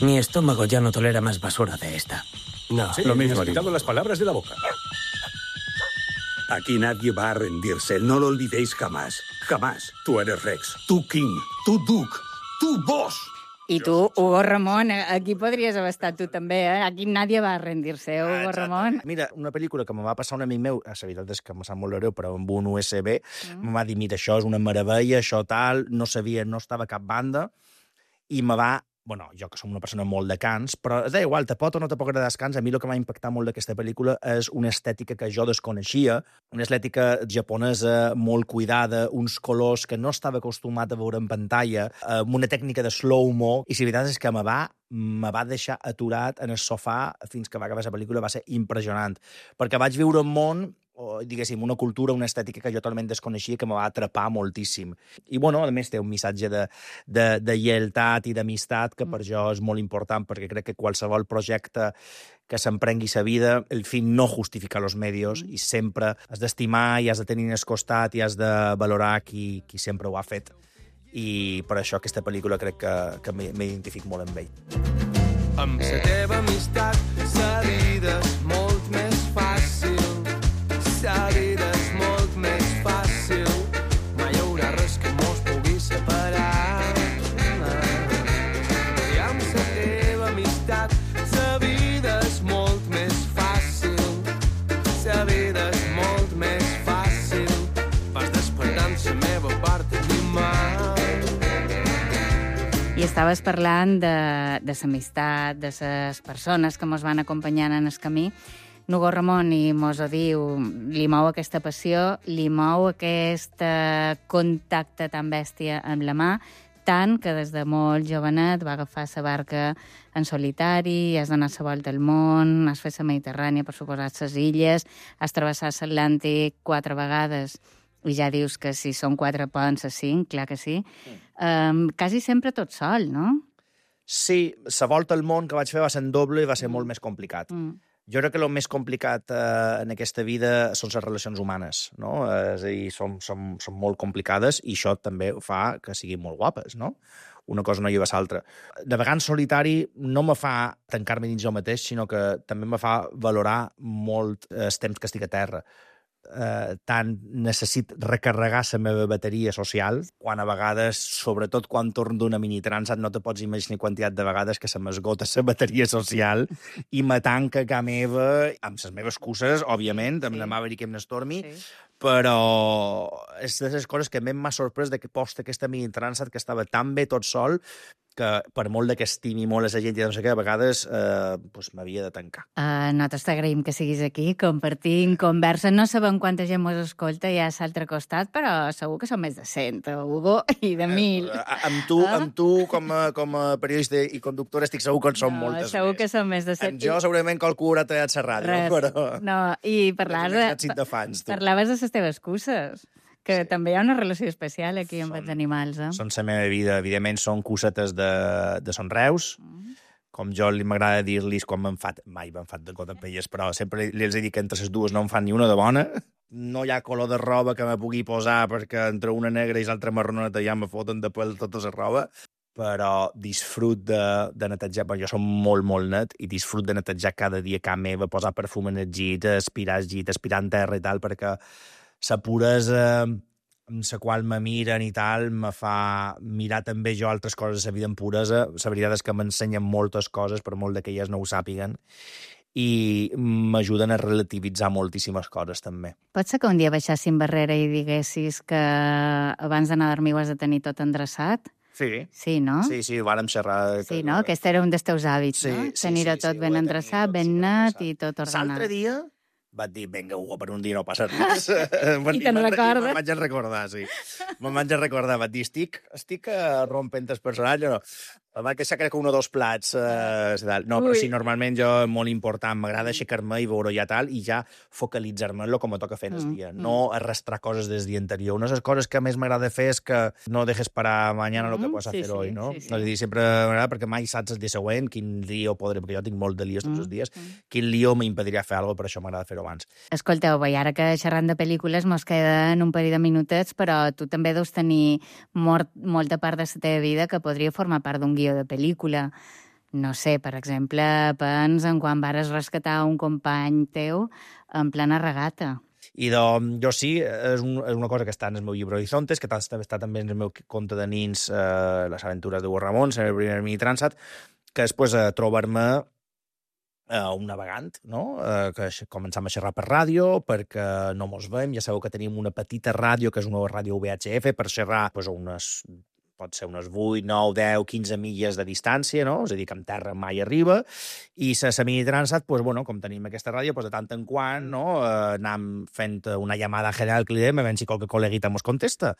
Mi estómago ya no tolera más basura de esta. No, Sí, lo mismo, me has quitado las palabras de la boca. Aquí nadie va a rendirse, no lo olvidéis jamás. Jamás. Tú eres Rex, tú King, tú Duke, tú Boss. I tu, Hugo Ramón, aquí podries haver estat tu també, eh? Aquí nadie va a rendir-se, Hugo Ramón. Mira, una pel·lícula que me va passar un amic meu, a la veritat és que me sap molt greu, però amb un U S B, mm. me va dir, mira, això és una meravella, això tal, no sabia, no estava a cap banda, i me va... Bueno, jo que som una persona molt de cants, però és igual, te pot o no te pot agradar els cants, a mi el que m'ha impactat molt d'aquesta pel·lícula és una estètica que jo desconeixia, una estètica japonesa molt cuidada, uns colors que no estava acostumat a veure en pantalla, amb una tècnica de slow-mo, i la veritat és que me va, me va deixar aturat en el sofà fins que va acabar la pel·lícula, va ser impressionant, perquè vaig viure un món o, diguéssim, una cultura, una estètica que jo totalment desconeixia, que me va atrapar moltíssim. I, bueno, a més, té un missatge de, de, de lleialtat i d'amistat que per jo és molt important, perquè crec que qualsevol projecte que s'emprengui sa vida, el fin no justifica los medios, i sempre has d'estimar i has de tenir al costat i has de valorar qui, qui sempre ho ha fet. I per això aquesta pel·lícula crec que, que m'identifico molt amb ell. Amb la teva amistat, la vida és molt més fàcil. La vida és molt més fàcil. Mai hi haurà res que mos pugui separar. I amb la teva amistat, la vida és molt més fàcil. La vida és molt més fàcil. Vas despertant la meva part animal. I estaves parlant de, de l'amistat, de les persones que mos van acompanyant en el camí. Hugo Ramón, i mos ho diu, li mou aquesta passió, li mou aquest eh, contacte tan bèstia amb la mà, tant que des de molt jovenet va agafar la barca en solitari, has donat la volta al món, has fet la Mediterrània, per suposat, les illes, has travessat l'Atlàntic quatre vegades, i ja dius que si són quatre poden ser cinc, clar que sí. Um, quasi sempre tot sol, no? Sí, la volta al món que vaig fer va ser en doble i va ser molt més complicat. Mm. Jo crec que el més complicat eh, en aquesta vida són les relacions humanes, no? És a dir, són, són, són molt complicades i això també fa que siguin molt guapes, no? Una cosa no lleva l'altra. Navegar en solitari no me fa tancar-me dins jo mateix, sinó que també me fa valorar molt el temps que estic a terra. Eh, tant necessit recarregar la meva bateria social, quan a vegades, sobretot quan torno d'una minitransat, no te pots imaginar quantitat de vegades que se m'esgota la bateria social i me tanca a ca meva, amb les meves excuses, òbviament, amb sí. la Maverick i amb l'Stormy, sí. però és de les coses que més m'ha sorprès de que posta aquesta minitransat que estava tan bé tot sol que per molt que estimi molt a la gent i no sé què, a vegades eh, pues, m'havia de tancar. Uh, nosaltres t'agraïm que siguis aquí, compartint conversa. No sabem quanta gent mos escolta ja a l'altre costat, però segur que són més de cent, Hugo, i de mil. Eh, amb tu, ah? amb tu com, a, com a periodista i conductora, estic segur que en són no, moltes segur més. que són més de cent. Amb jo segurament qualcú haurà tallat la ràdio, Res. però... No, i parlaves de, de fans, parlaves de les teves cuses. Que sí. També hi ha una relació especial aquí amb són, els animals, eh? Són la meva vida. Evidentment, són cosetes de, de son Reus. Mm. Com jo li m'agrada dir-los quan me'n fat... Mai me'n fat de cot amb elles, però sempre li els he dit que entre les dues no em fan ni una de bona. No hi ha color de roba que me pugui posar perquè entre una negra i l'altra marroneta ja me foten de pèl tota la roba. Però disfrut de, de netejar, perquè jo som molt, molt net, i disfrut de netejar cada dia a casa meva, posar perfum en el llit, aspirar el llit, aspirar en terra i tal, perquè la puresa amb la qual me miren i tal me fa mirar també jo altres coses de la vida en puresa. La veritat és que m'ensenyen moltes coses, per molt que elles no ho sàpiguen, i m'ajuden a relativitzar moltíssimes coses, també. Pot ser que un dia baixessin barrera i diguessis que abans d'anar a dormir ho has de tenir tot endreçat? Sí. Sí, no? Sí, sí, vàrem xerrar... Sí, no? Aquest era un dels teus hàbits, sí, no? Sí, Tenir-ho sí, tot sí, ben endreçat, ben net i tot ordenat. L'altre dia vaig dir, vinga, Hugo, per un dia no passa res. I te'n recordes? Me'n vaig a recordar, sí. Me'n vaig a recordar, vaig dir, estic, estic rompent el personatge, no? Va que crec que un o dos plats. Eh, no, però sí, normalment jo, molt important, m'agrada aixecar-me i veure ja tal, i ja focalitzar-me en el que me toca fer en el dia. Mm. No arrastrar coses des del dia anterior. Una de les coses que més m'agrada fer és que no dejes para mañana lo que puedes hacer hoy, no? Sí, sí. És a dir, sempre m'agrada perquè mai saps el dia següent quin lío podré, perquè jo tinc molt de líos tots els dies, quin lío m'impedirà fer alguna cosa, per això m'agrada fer-ho abans. Escolteu, i ara que xerrant de pel·lícules mos queden un parell de minutets, però tu també deus tenir mort, molta part de la teva vida que podria formar part d'un guió de pel·lícula. No sé, per exemple, pens en quan vares rescatar un company teu en plena regata. I doncs, jo sí, és, un, és una cosa que està en el meu llibre Horizontes, que està, està també en el meu conte de nins, eh, Les aventures de Hugo Ramón, en el primer mini Transat, que després eh, trobar-me eh, un navegant, no? eh, que començam a xerrar per ràdio, perquè no mos veiem, ja sabeu que tenim una petita ràdio, que és una ràdio V H F, per xerrar pues, unes... pot ser unes vuit, nou, deu, quinze milles de distància, no? És a dir, que en terra mai arriba, i la mini Transat, pues, bueno, com tenim aquesta ràdio, pues, de tant en quant, no? Eh, anam fent una llamada general que li dèiem, a veure si qualque col·leguita mos contesta.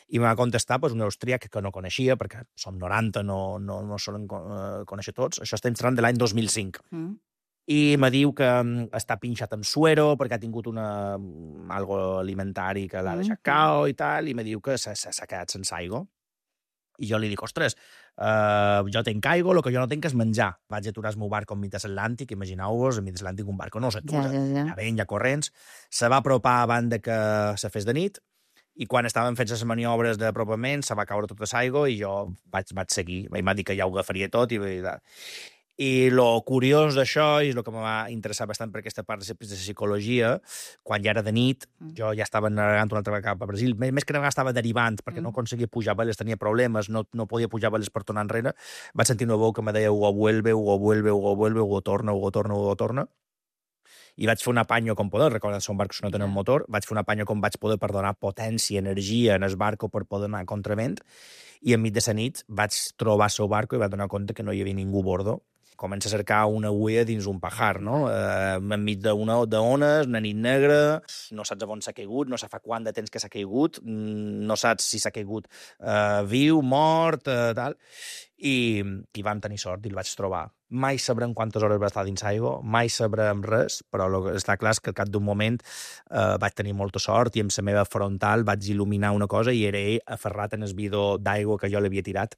I em va contestar pues, un austríac que no coneixia, perquè som noranta, no, no, no solen conèixer tots. Això estem parlant de l'any dos mil cinc. Mm. I me diu que està pinxat amb suero perquè ha tingut una, algo alimentari que l'ha deixat cao i tal, i me diu que s'ha quedat sense aigua. I jo li dic, ostres, uh, jo tenc aigua, el que jo no tenc és menjar. Vaig aturar el meu barco enmig de l'Atlàntic, imagineu-vos, enmig de l'Atlàntic un barco no s'atura, ja, ja, ja. ja ven, ja corrents, se va apropar abans de que se fes de nit, i quan estaven fent les maniobres d'apropament se va caure tota l'aigua i jo vaig, vaig seguir. Ell m'ha dit que ja ho agafaria tot i... I el curiós d'això, i el que em va interessar bastant per aquesta part de psicologia, quan ja era de nit, mm. jo ja estava navegant una altra vegada cap a Brasil, més que navegar estava derivant, perquè mm. no aconseguia pujar veles, tenia problemes, no, no podia pujar veles per tornar enrere, vaig sentir una veu que me deia Hugo vuelve, Hugo vuelve, Hugo vuelve, Hugo torna, Hugo torna, Hugo torna, i vaig fer un apanyo com poder, recordant que són barcos que no tenen motor, vaig fer un apanyo com vaig poder per donar potència, energia en el barco per poder anar a contravent, i enmig de la nit vaig trobar el seu barco i vaig donar compte que no hi havia ningú a bordo. Comença a cercar una huella dins un pajar, no? Eh, enmig d'una d'ones, una nit negra, no saps on s'ha caigut, no saps fa quant de temps que s'ha caigut, no saps si s'ha caigut eh, viu, mort, eh, tal, i, i vam tenir sort i el vaig trobar. Mai sabrem quantes hores va estar dins aigua, mai sabrem res, però lo que està clar és que al cap d'un moment eh, vaig tenir molta sort i amb la meva frontal vaig il·luminar una cosa i era ell aferrat en el bidó d'aigua que jo l'havia tirat.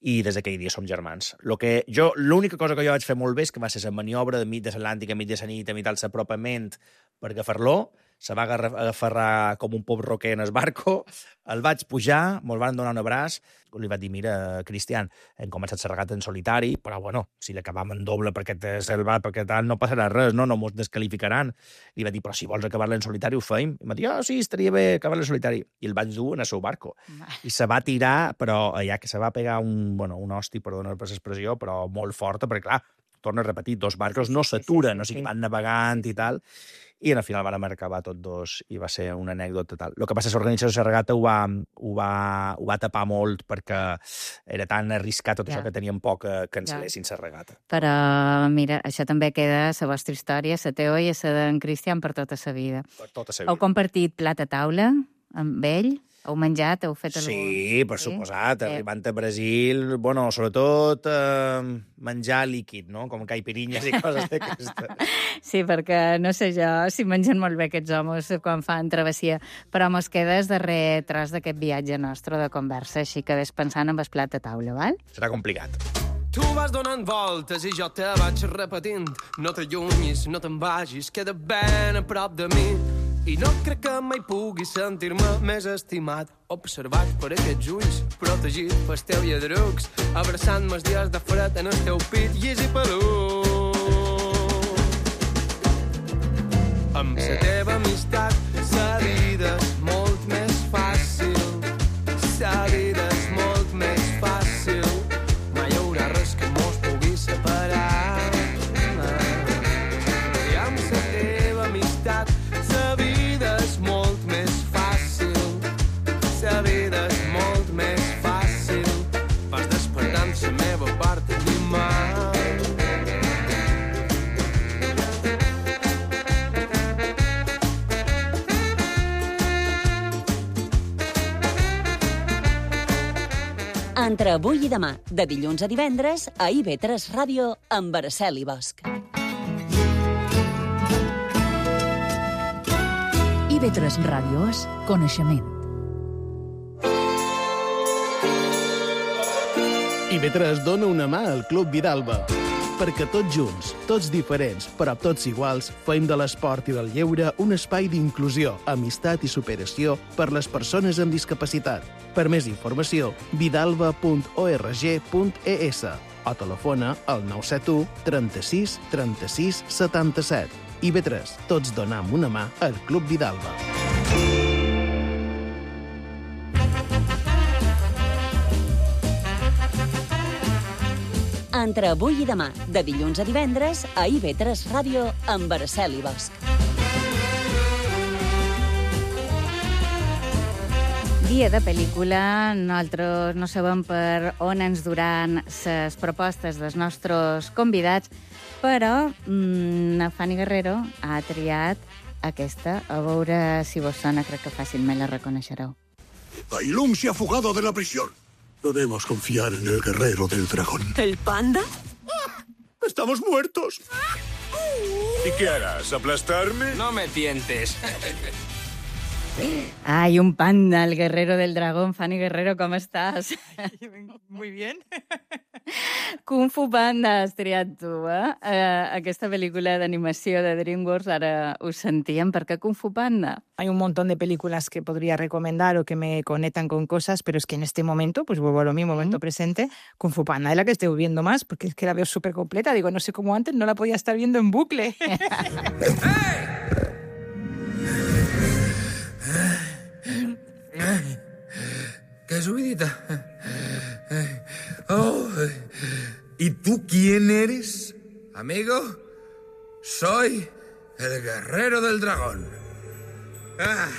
I des d'aquell dia som germans. Lo que jo, l'única cosa que jo vaig fer molt bé és que va ser la maniobra de mig de l'Atlàntic, a mig de la nit, a mig del apropament per agafar-lo, se va agarrar com un pop roquer en el barco, el vaig pujar, mos van donar un abraç, li vaig dir, mira, Cristian, hem començat la regata en solitari, però bueno, si l'acabam en doble perquè salvat, perquè tal, no passarà res, no, no mos descalificaran. Li vaig dir, però si vols acabar-la en solitari ho feim. I em va dir, oh, sí, estaria bé acabar-la en solitari. I el vaig dur en el seu barco. I se va tirar, però allà que se va pegar un, bueno, un hosti, perdona per l'expressió, però molt forta, perquè clar, torno a repetir, dos barcos no s'aturen, sí, sí, sí, sí. O sigui, van navegant i tal, i al final van acabar tots dos i va ser una anècdota tal. El que passa és que l'organització de la regata ho va, ho, va, ho va tapar molt perquè era tan arriscat tot ja. Això que tenien por que cancel·lessin la regata. Però, mira, això també queda la vostra història, la teva i la d'en Cristian per tota la vida. Per tota la vida. Heu compartit plat a taula amb ell? Heu menjat? Heu fet algun... Sí, per sí? suposat. Arribant a Brasil, bueno, sobretot eh, menjar líquid, no? Com caipirinhas i coses d'aquestes. Sí, perquè no sé jo si mengen molt bé aquests homes quan fan travessia, però mos quedes darrer tros d'aquest viatge nostre de conversa, així que ves pensant en el plat a taula, val? Serà complicat. Tu vas donant voltes i jo te vaig repetint. No t'allunyis, no te'n vagis, queda ben a prop de mi. I no crec que mai pugui sentir-me més estimat, observat per aquests ulls, protegit pels teus lladrucs, abraçant-me els dies de fred en el teu pit llis i pelut. Amb la teva amistat, la vida és molt més fàcil, la vida és molt més fàcil, mai hi haurà res que mos pugui separar. I amb la teva amistat, la vida és molt més fàcil, la vida és molt més fàcil, vas despertant la meva part animal. Entre avui i demà, de dilluns a divendres, a I V tres Ràdio, amb Araceli Bosch. I V tres Ràdio és coneixement. I V tres dona una mà al Club Vidalba, perquè tots junts, tots diferents, però tots iguals, fem de l'esport i del lleure un espai d'inclusió, amistat i superació per les persones amb discapacitat. Per més informació, vidalba punt org punt es o telefona al nou set u trenta-sis trenta-sis setanta-set. I V tres, tots donam una mà al Club Vidalba. Entre avui i demà, de dilluns a divendres, a I V tres Ràdio, amb Araceli Bosch. Dia de pel·lícula, nosaltres no sabem per on ens duran les propostes dels nostres convidats, però mmm, Fanny Guerrero ha triat aquesta. A veure si vos sona, crec que fàcilment la reconeixereu. Tai Lung se ha fugado de la prisión. Debemos confiar en el guerrero del dragón. ¿El panda? ¡Estamos muertos! ¿Y qué harás? ¿Aplastarme? No me tientes. Ay, un panda, el guerrero del dragón. Fanny Guerrero, ¿cómo estás? Muy bien. Kung Fu Panda has triat tu, eh? eh? Aquesta pel·lícula d'animació de DreamWorks, ara ho sentíem. ¿Por qué Kung Fu Panda? Hay un montón de películas que podría recomendar o que me conectan con cosas, pero es que en este momento, pues vuelvo a lo mismo, momento presente, Kung Fu Panda es la que estoy viendo más, porque es que la veo súper completa. Digo, no sé cómo antes no la podía estar viendo en bucle. ¡Qué subidita! Oh, ¿y tú quién eres, amigo? Soy el guerrero del dragón. Ah.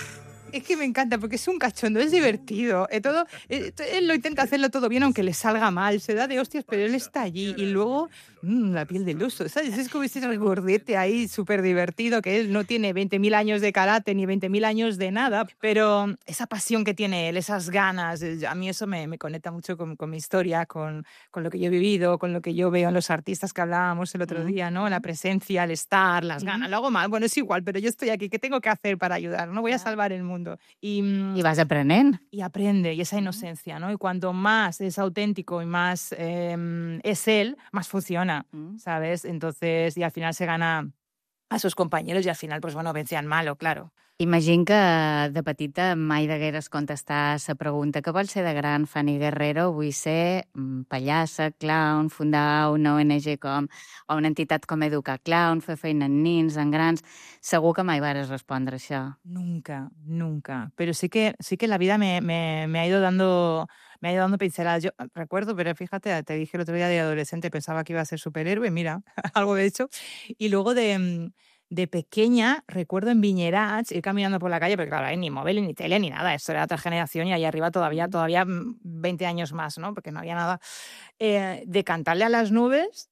Es que me encanta porque es un cachondo, es divertido. Eh, todo, eh, él lo intenta hacerlo todo bien, aunque le salga mal. Se da de hostias, pero él está allí. Y luego, mmm, la piel del oso, ¿sabes? Es como ese regordete ahí súper divertido, que él no tiene veinte mil años de karate ni veinte mil años de nada, pero esa pasión que tiene él, esas ganas, a mí eso me, me conecta mucho con, con mi historia, con, con lo que yo he vivido, con lo que yo veo en los artistas que hablábamos el otro día, ¿no? La presencia, el estar, las ganas. Lo hago mal, bueno, es igual, pero yo estoy aquí. ¿Qué tengo que hacer para ayudar? No voy a salvar el mundo. Y, y vas aprendiendo. Y aprende, y esa inocencia, ¿no? Y cuanto más es auténtico y más eh, es él, más funciona, mm. ¿sabes? Entonces, y al final se gana a sus compañeros y al final, pues bueno, vence al malo, claro. Imagino que de petita mai degueres contestar la pregunta que vols ser de gran, Fanny Guerrero. Vull ser pallassa, clown, fundar una O N G com, o una entitat com Educar Clown, fer feina en nins, en grans. Segur que mai vares respondre això. Nunca, nunca. Pero sí que, sí que la vida me, me, me ha ido dando... Me ha ido dando pinceladas. Yo recuerdo, pero fíjate, te dije el otro día de adolescente, pensaba que iba a ser superhéroe, mira, algo de hecho. Y luego de, de pequeña, recuerdo en Viñerats, ir caminando por la calle, porque claro, ni móvil, ni tele, ni nada, esto era otra generación y ahí arriba todavía, todavía veinte años más, ¿no? Porque no había nada. Eh, de cantarle a las nubes.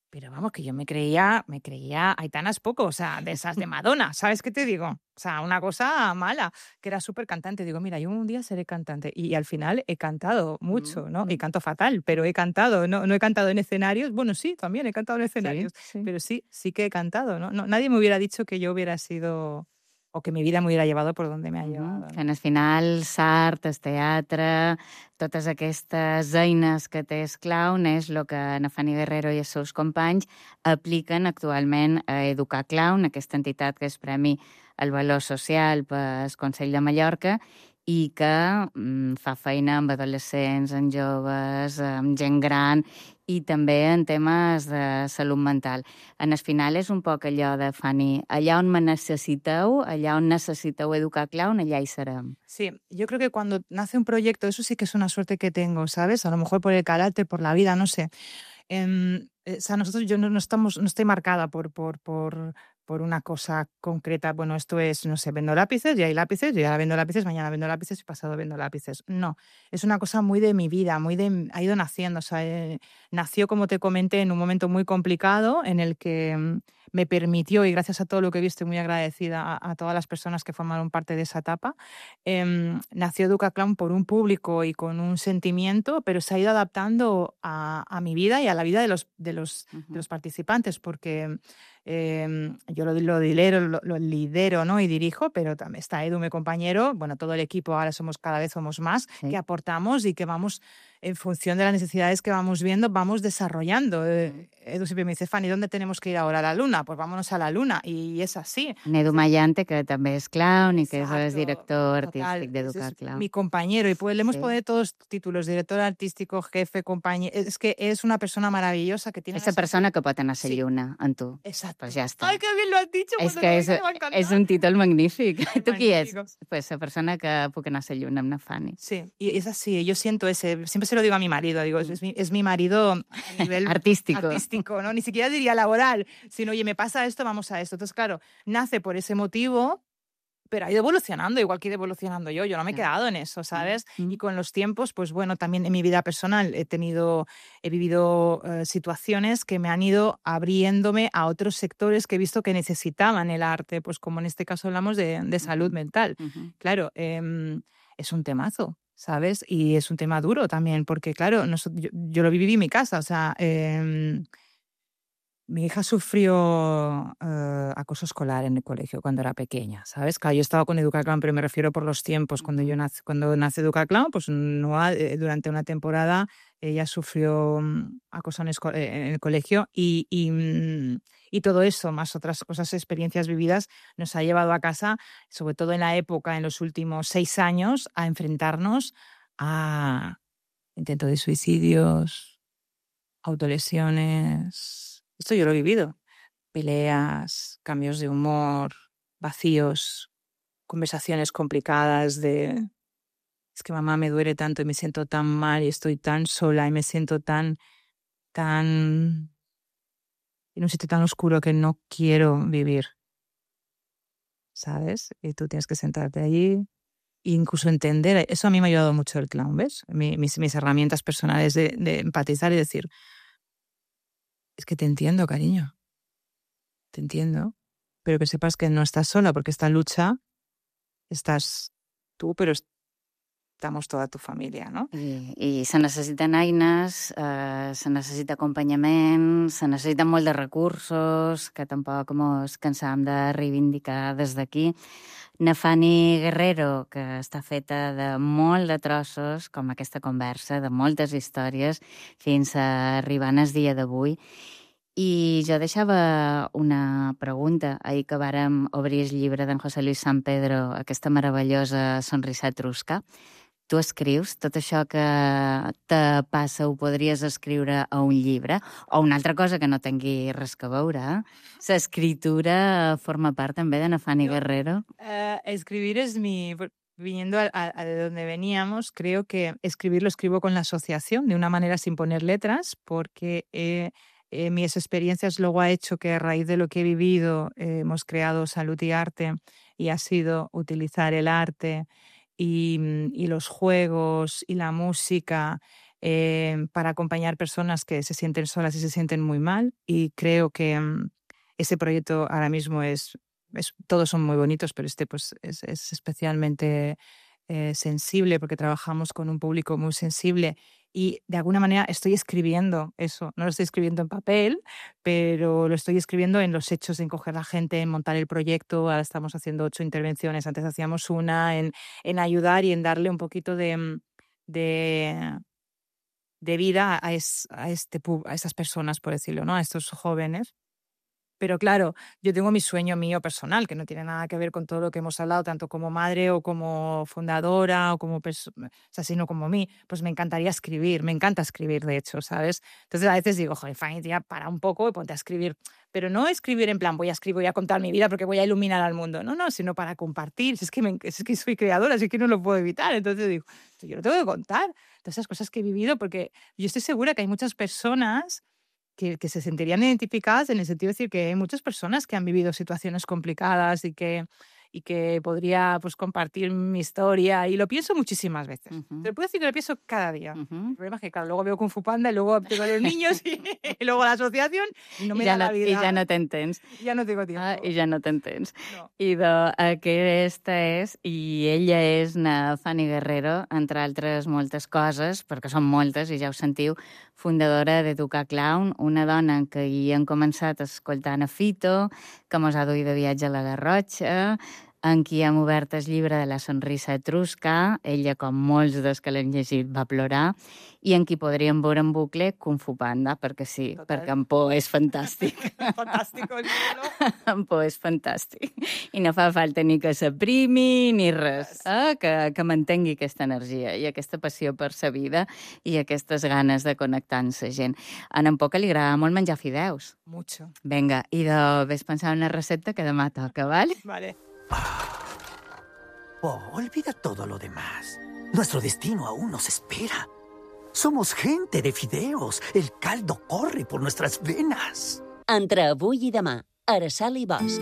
Pero vamos, que yo me creía, me creía Aitanas Poco, o sea, de esas de Madonna, ¿sabes qué te digo? O sea, una cosa mala, que era súper cantante. Digo, mira, yo un día seré cantante. Y, y al final he cantado mucho, ¿no? Y canto fatal, pero he cantado, ¿no? No he cantado en escenarios. Bueno, sí, también he cantado en escenarios. Sí, sí. Pero sí, sí que he cantado, ¿no? No, nadie me hubiera dicho que yo hubiera sido... o que mi vida me hubiera llevado por donde me ha llevado. Que al final, l'art, el teatre, totes aquestes eines que té el clown és el que na Fanny Guerrero i els seus companys apliquen actualment a Educar Clown, aquesta entitat que és Premi al Valor Social pel Consell de Mallorca i que mm, fa feina amb adolescents, amb joves, amb gent gran i també en temes de salut mental. En el final és un poc allò de, Fanny, allà on me necessiteu, allà on necessiteu Educar Clown, allà hi serem. Sí, yo creo que cuando nace un proyecto, eso sí que es una suerte que tengo, ¿sabes? A lo mejor por el carácter, por la vida, no sé. Eh, o sea, nosotros, yo no, no, estamos, no estoy marcada por, por, por, por una cosa concreta, bueno, esto es, no sé, vendo lápices, y hay lápices, yo ya vendo lápices, mañana vendo lápices y pasado vendo lápices. No, es una cosa muy de mi vida, muy de, ha ido naciendo, o sea, eh, nació, como te comenté, en un momento muy complicado en el que mm, me permitió, y gracias a todo lo que he visto, muy agradecida a, a todas las personas que formaron parte de esa etapa, eh, nació Educa Clown por un público y con un sentimiento, pero se ha ido adaptando a, a mi vida y a la vida de los, de los, uh-huh. de los participantes, porque eh, yo lo, lo, lidero, lo, lo lidero, ¿no? Y dirijo, pero también está Edu, mi compañero, bueno, todo el equipo, ahora somos cada vez somos más, sí. que aportamos y que vamos, en función de las necesidades que vamos viendo, vamos desarrollando. Eh, Edu siempre me dice, Fanny, ¿dónde tenemos que ir ahora? ¿A la luna? Pues vámonos a la luna. Y es así. Edu Mayante, que també és clown i que Exacto, és director artístic d'Educa Clown. Mi compañero, y pues le hemos sí. poner todos los títulos, director artístico, jefe, compañero. Es que es una persona maravillosa que tiene... Esa persona que pot anar a ser sí. lluna en tu. Exacto. Pues ja està. Ai, que bien lo has dicho. És que és, és un títol magnífic. Es tu qui és? Pues la persona que puc anar a ser lluna amb na Fanny. Sí, y es así. Yo siento ese... Siempre se lo digo a mi marido, digo, es mi, es mi marido a nivel artístico. artístico, ¿no? Ni siquiera diría laboral, sino, oye, me pasa esto, vamos a esto. Entonces, claro, nace por ese motivo, pero ha ido evolucionando, igual que he ido evolucionando yo. Yo no me he quedado en eso, ¿sabes? Mm. Y con los tiempos, pues bueno, también en mi vida personal he tenido, he vivido uh, situaciones que me han ido abriéndome a otros sectores que he visto que necesitaban el arte, pues como en este caso hablamos de, de salud mental. Uh-huh. Claro, eh, es un temazo, ¿sabes? Y es un tema duro también, porque claro, nosotros, yo, yo lo viví en mi casa, o sea... Eh, Mi hija sufrió uh, acoso escolar en el colegio cuando era pequeña, ¿sabes? Claro, yo estaba con Educa Clown, pero me refiero por los tiempos. Cuando yo nace, cuando nace Educa Clown, pues no, eh, durante una temporada ella sufrió um, acoso en, esco- en el colegio y, y, um, y todo eso, más otras cosas, experiencias vividas, nos ha llevado a casa, sobre todo en la época, en los últimos seis años, a enfrentarnos a intentos de suicidios, autolesiones... Esto yo lo he vivido. Peleas, cambios de humor, vacíos, conversaciones complicadas de... Es que mamá me duele tanto y me siento tan mal y estoy tan sola y me siento tan... tan... en un sitio tan oscuro que no quiero vivir. ¿Sabes? Y tú tienes que sentarte allí e incluso entender... Eso a mí me ha ayudado mucho el clown, ¿ves? Mis, mis herramientas personales de, de empatizar y decir... Es que te entiendo, cariño. Te entiendo. Pero que sepas que no estás sola, porque esta lucha estás tú, pero estamos toda tu família, no? I, i se necessiten eines, eh, se necessita acompanyament, se necessiten molt de recursos, que tampoc ens cansam de reivindicar des d'aquí. Na Fanny Guerrero, que està feta de molt de trossos, com aquesta conversa, de moltes històries, fins a arribar al dia d'avui. I jo deixava una pregunta. Ahir que vàrem obrir el llibre d'en José Luis San Pedro, aquesta meravellosa Sonrisa etrusca, tu escrius tot això que te passa, ho podries escriure a un llibre, o una altra cosa que no tingui res que veure. L'escritura forma part també de na Fanny Guerrero. Uh, escribir es mi... Viniendo a, a, a de donde veníamos, creo que escribir lo escribo con la asociación, de una manera sin poner letras, porque eh, eh, mis experiencias luego ha hecho que a raíz de lo que he vivido eh, hemos creado Salud y Arte, y ha sido utilizar el arte Y, y los juegos y la música eh, para acompañar personas que se sienten solas y se sienten muy mal. Y creo que um, ese proyecto ahora mismo es, es... Todos son muy bonitos, pero este pues es, es especialmente eh, sensible porque trabajamos con un público muy sensible. Y de alguna manera estoy escribiendo eso. No lo estoy escribiendo en papel, pero lo estoy escribiendo en los hechos de encoger a la gente, en montar el proyecto. Ahora estamos haciendo ocho intervenciones. Antes hacíamos una, en, en ayudar y en darle un poquito de, de, de vida a, es, a, este, a estas personas, por decirlo, ¿no? A estos jóvenes. Pero claro, yo tengo mi sueño mío personal, que no tiene nada que ver con todo lo que hemos hablado, tanto como madre o como fundadora o como persona, o sea, sino como mí. Pues me encantaría escribir, me encanta escribir, de hecho, ¿sabes? Entonces a veces digo, joder, Fanny, tía, para un poco y ponte a escribir. Pero no escribir en plan, voy a escribir, voy a contar mi vida porque voy a iluminar al mundo. No, no, sino para compartir. Si es que, me, es que soy creadora, si es que no lo puedo evitar. Entonces digo, yo lo tengo que contar. Todas esas cosas que he vivido, porque yo estoy segura que hay muchas personas que, que se sentirían identificadas en el sentido de decir que hay muchas personas que han vivido situaciones complicadas y que, y que podría pues, compartir mi historia. Y lo pienso muchísimas veces. Uh-huh. Te lo puedo decir que lo pienso cada día. Uh-huh. El problema es que, claro, luego veo Kung Fu Panda y luego tengo a los niños y, y luego la asociación y no me I ja da no, la vida. I ja no tens temps. Ja no tengo tiempo. Ah, I ja no tens temps. No. I de, aquesta és, i ella és na Fanny Guerrero, entre altres moltes coses, perquè són moltes, i ja ho sentiu, fundadora d'Educar Clown, una dona que hi han començat escoltant a Fito, que mos ha duit de viatge a la Garrotxa, en qui hem obert el llibre de la sonrisa etrusca, ella, com molts dels que l'hem llegit, va plorar, i en qui podríem veure en bucle Kung Fu Panda, perquè sí, Total. perquè en Po és fantàstic. Fantàstic, el llibre. En Po és fantàstic. I no fa falta ni que s'aprimi ni res, eh? que, que mantengui aquesta energia i aquesta passió per sa vida i aquestes ganes de connectar amb la gent. A en Po que li agrada molt menjar fideus. Mucho. Vinga, i de ves pensar en una recepta que demà toca, ¿vale? Vale. Oh, olvida todo lo demás. Nuestro destino aún nos espera. Somos gente de fideos. El caldo corre por nuestras venas. Entre avui i demà, Araceli Bosch.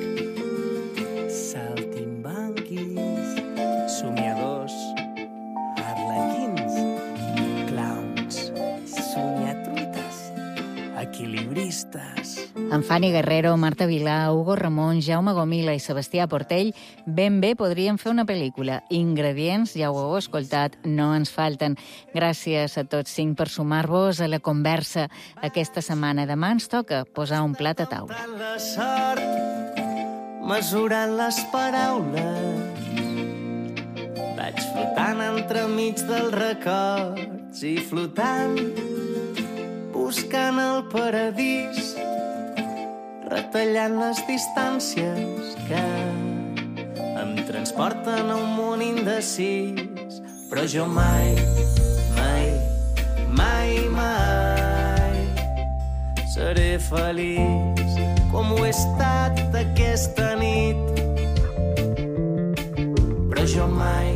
Saltimbanquis, somiadors, arlequins, clowns, somiatruites, equilibristes... En Fanny Guerrero, Marta Vilà, Hugo Ramón, Jaume Gomila i Sebastià Portell ben bé podrien fer una pel·lícula. Ingredients, ja ho heu escoltat, no ens falten. Gràcies a tots cinc per sumar-vos a la conversa. Aquesta setmana demà ens toca posar un plat a taula. La sort, mesurant les paraules, vaig flotant entremig dels records i flotant, buscant el paradís, retallant les distàncies que em transporten a un món indecís. Però jo mai, mai, mai, mai seré feliç com ho he estat aquesta nit. Però jo mai,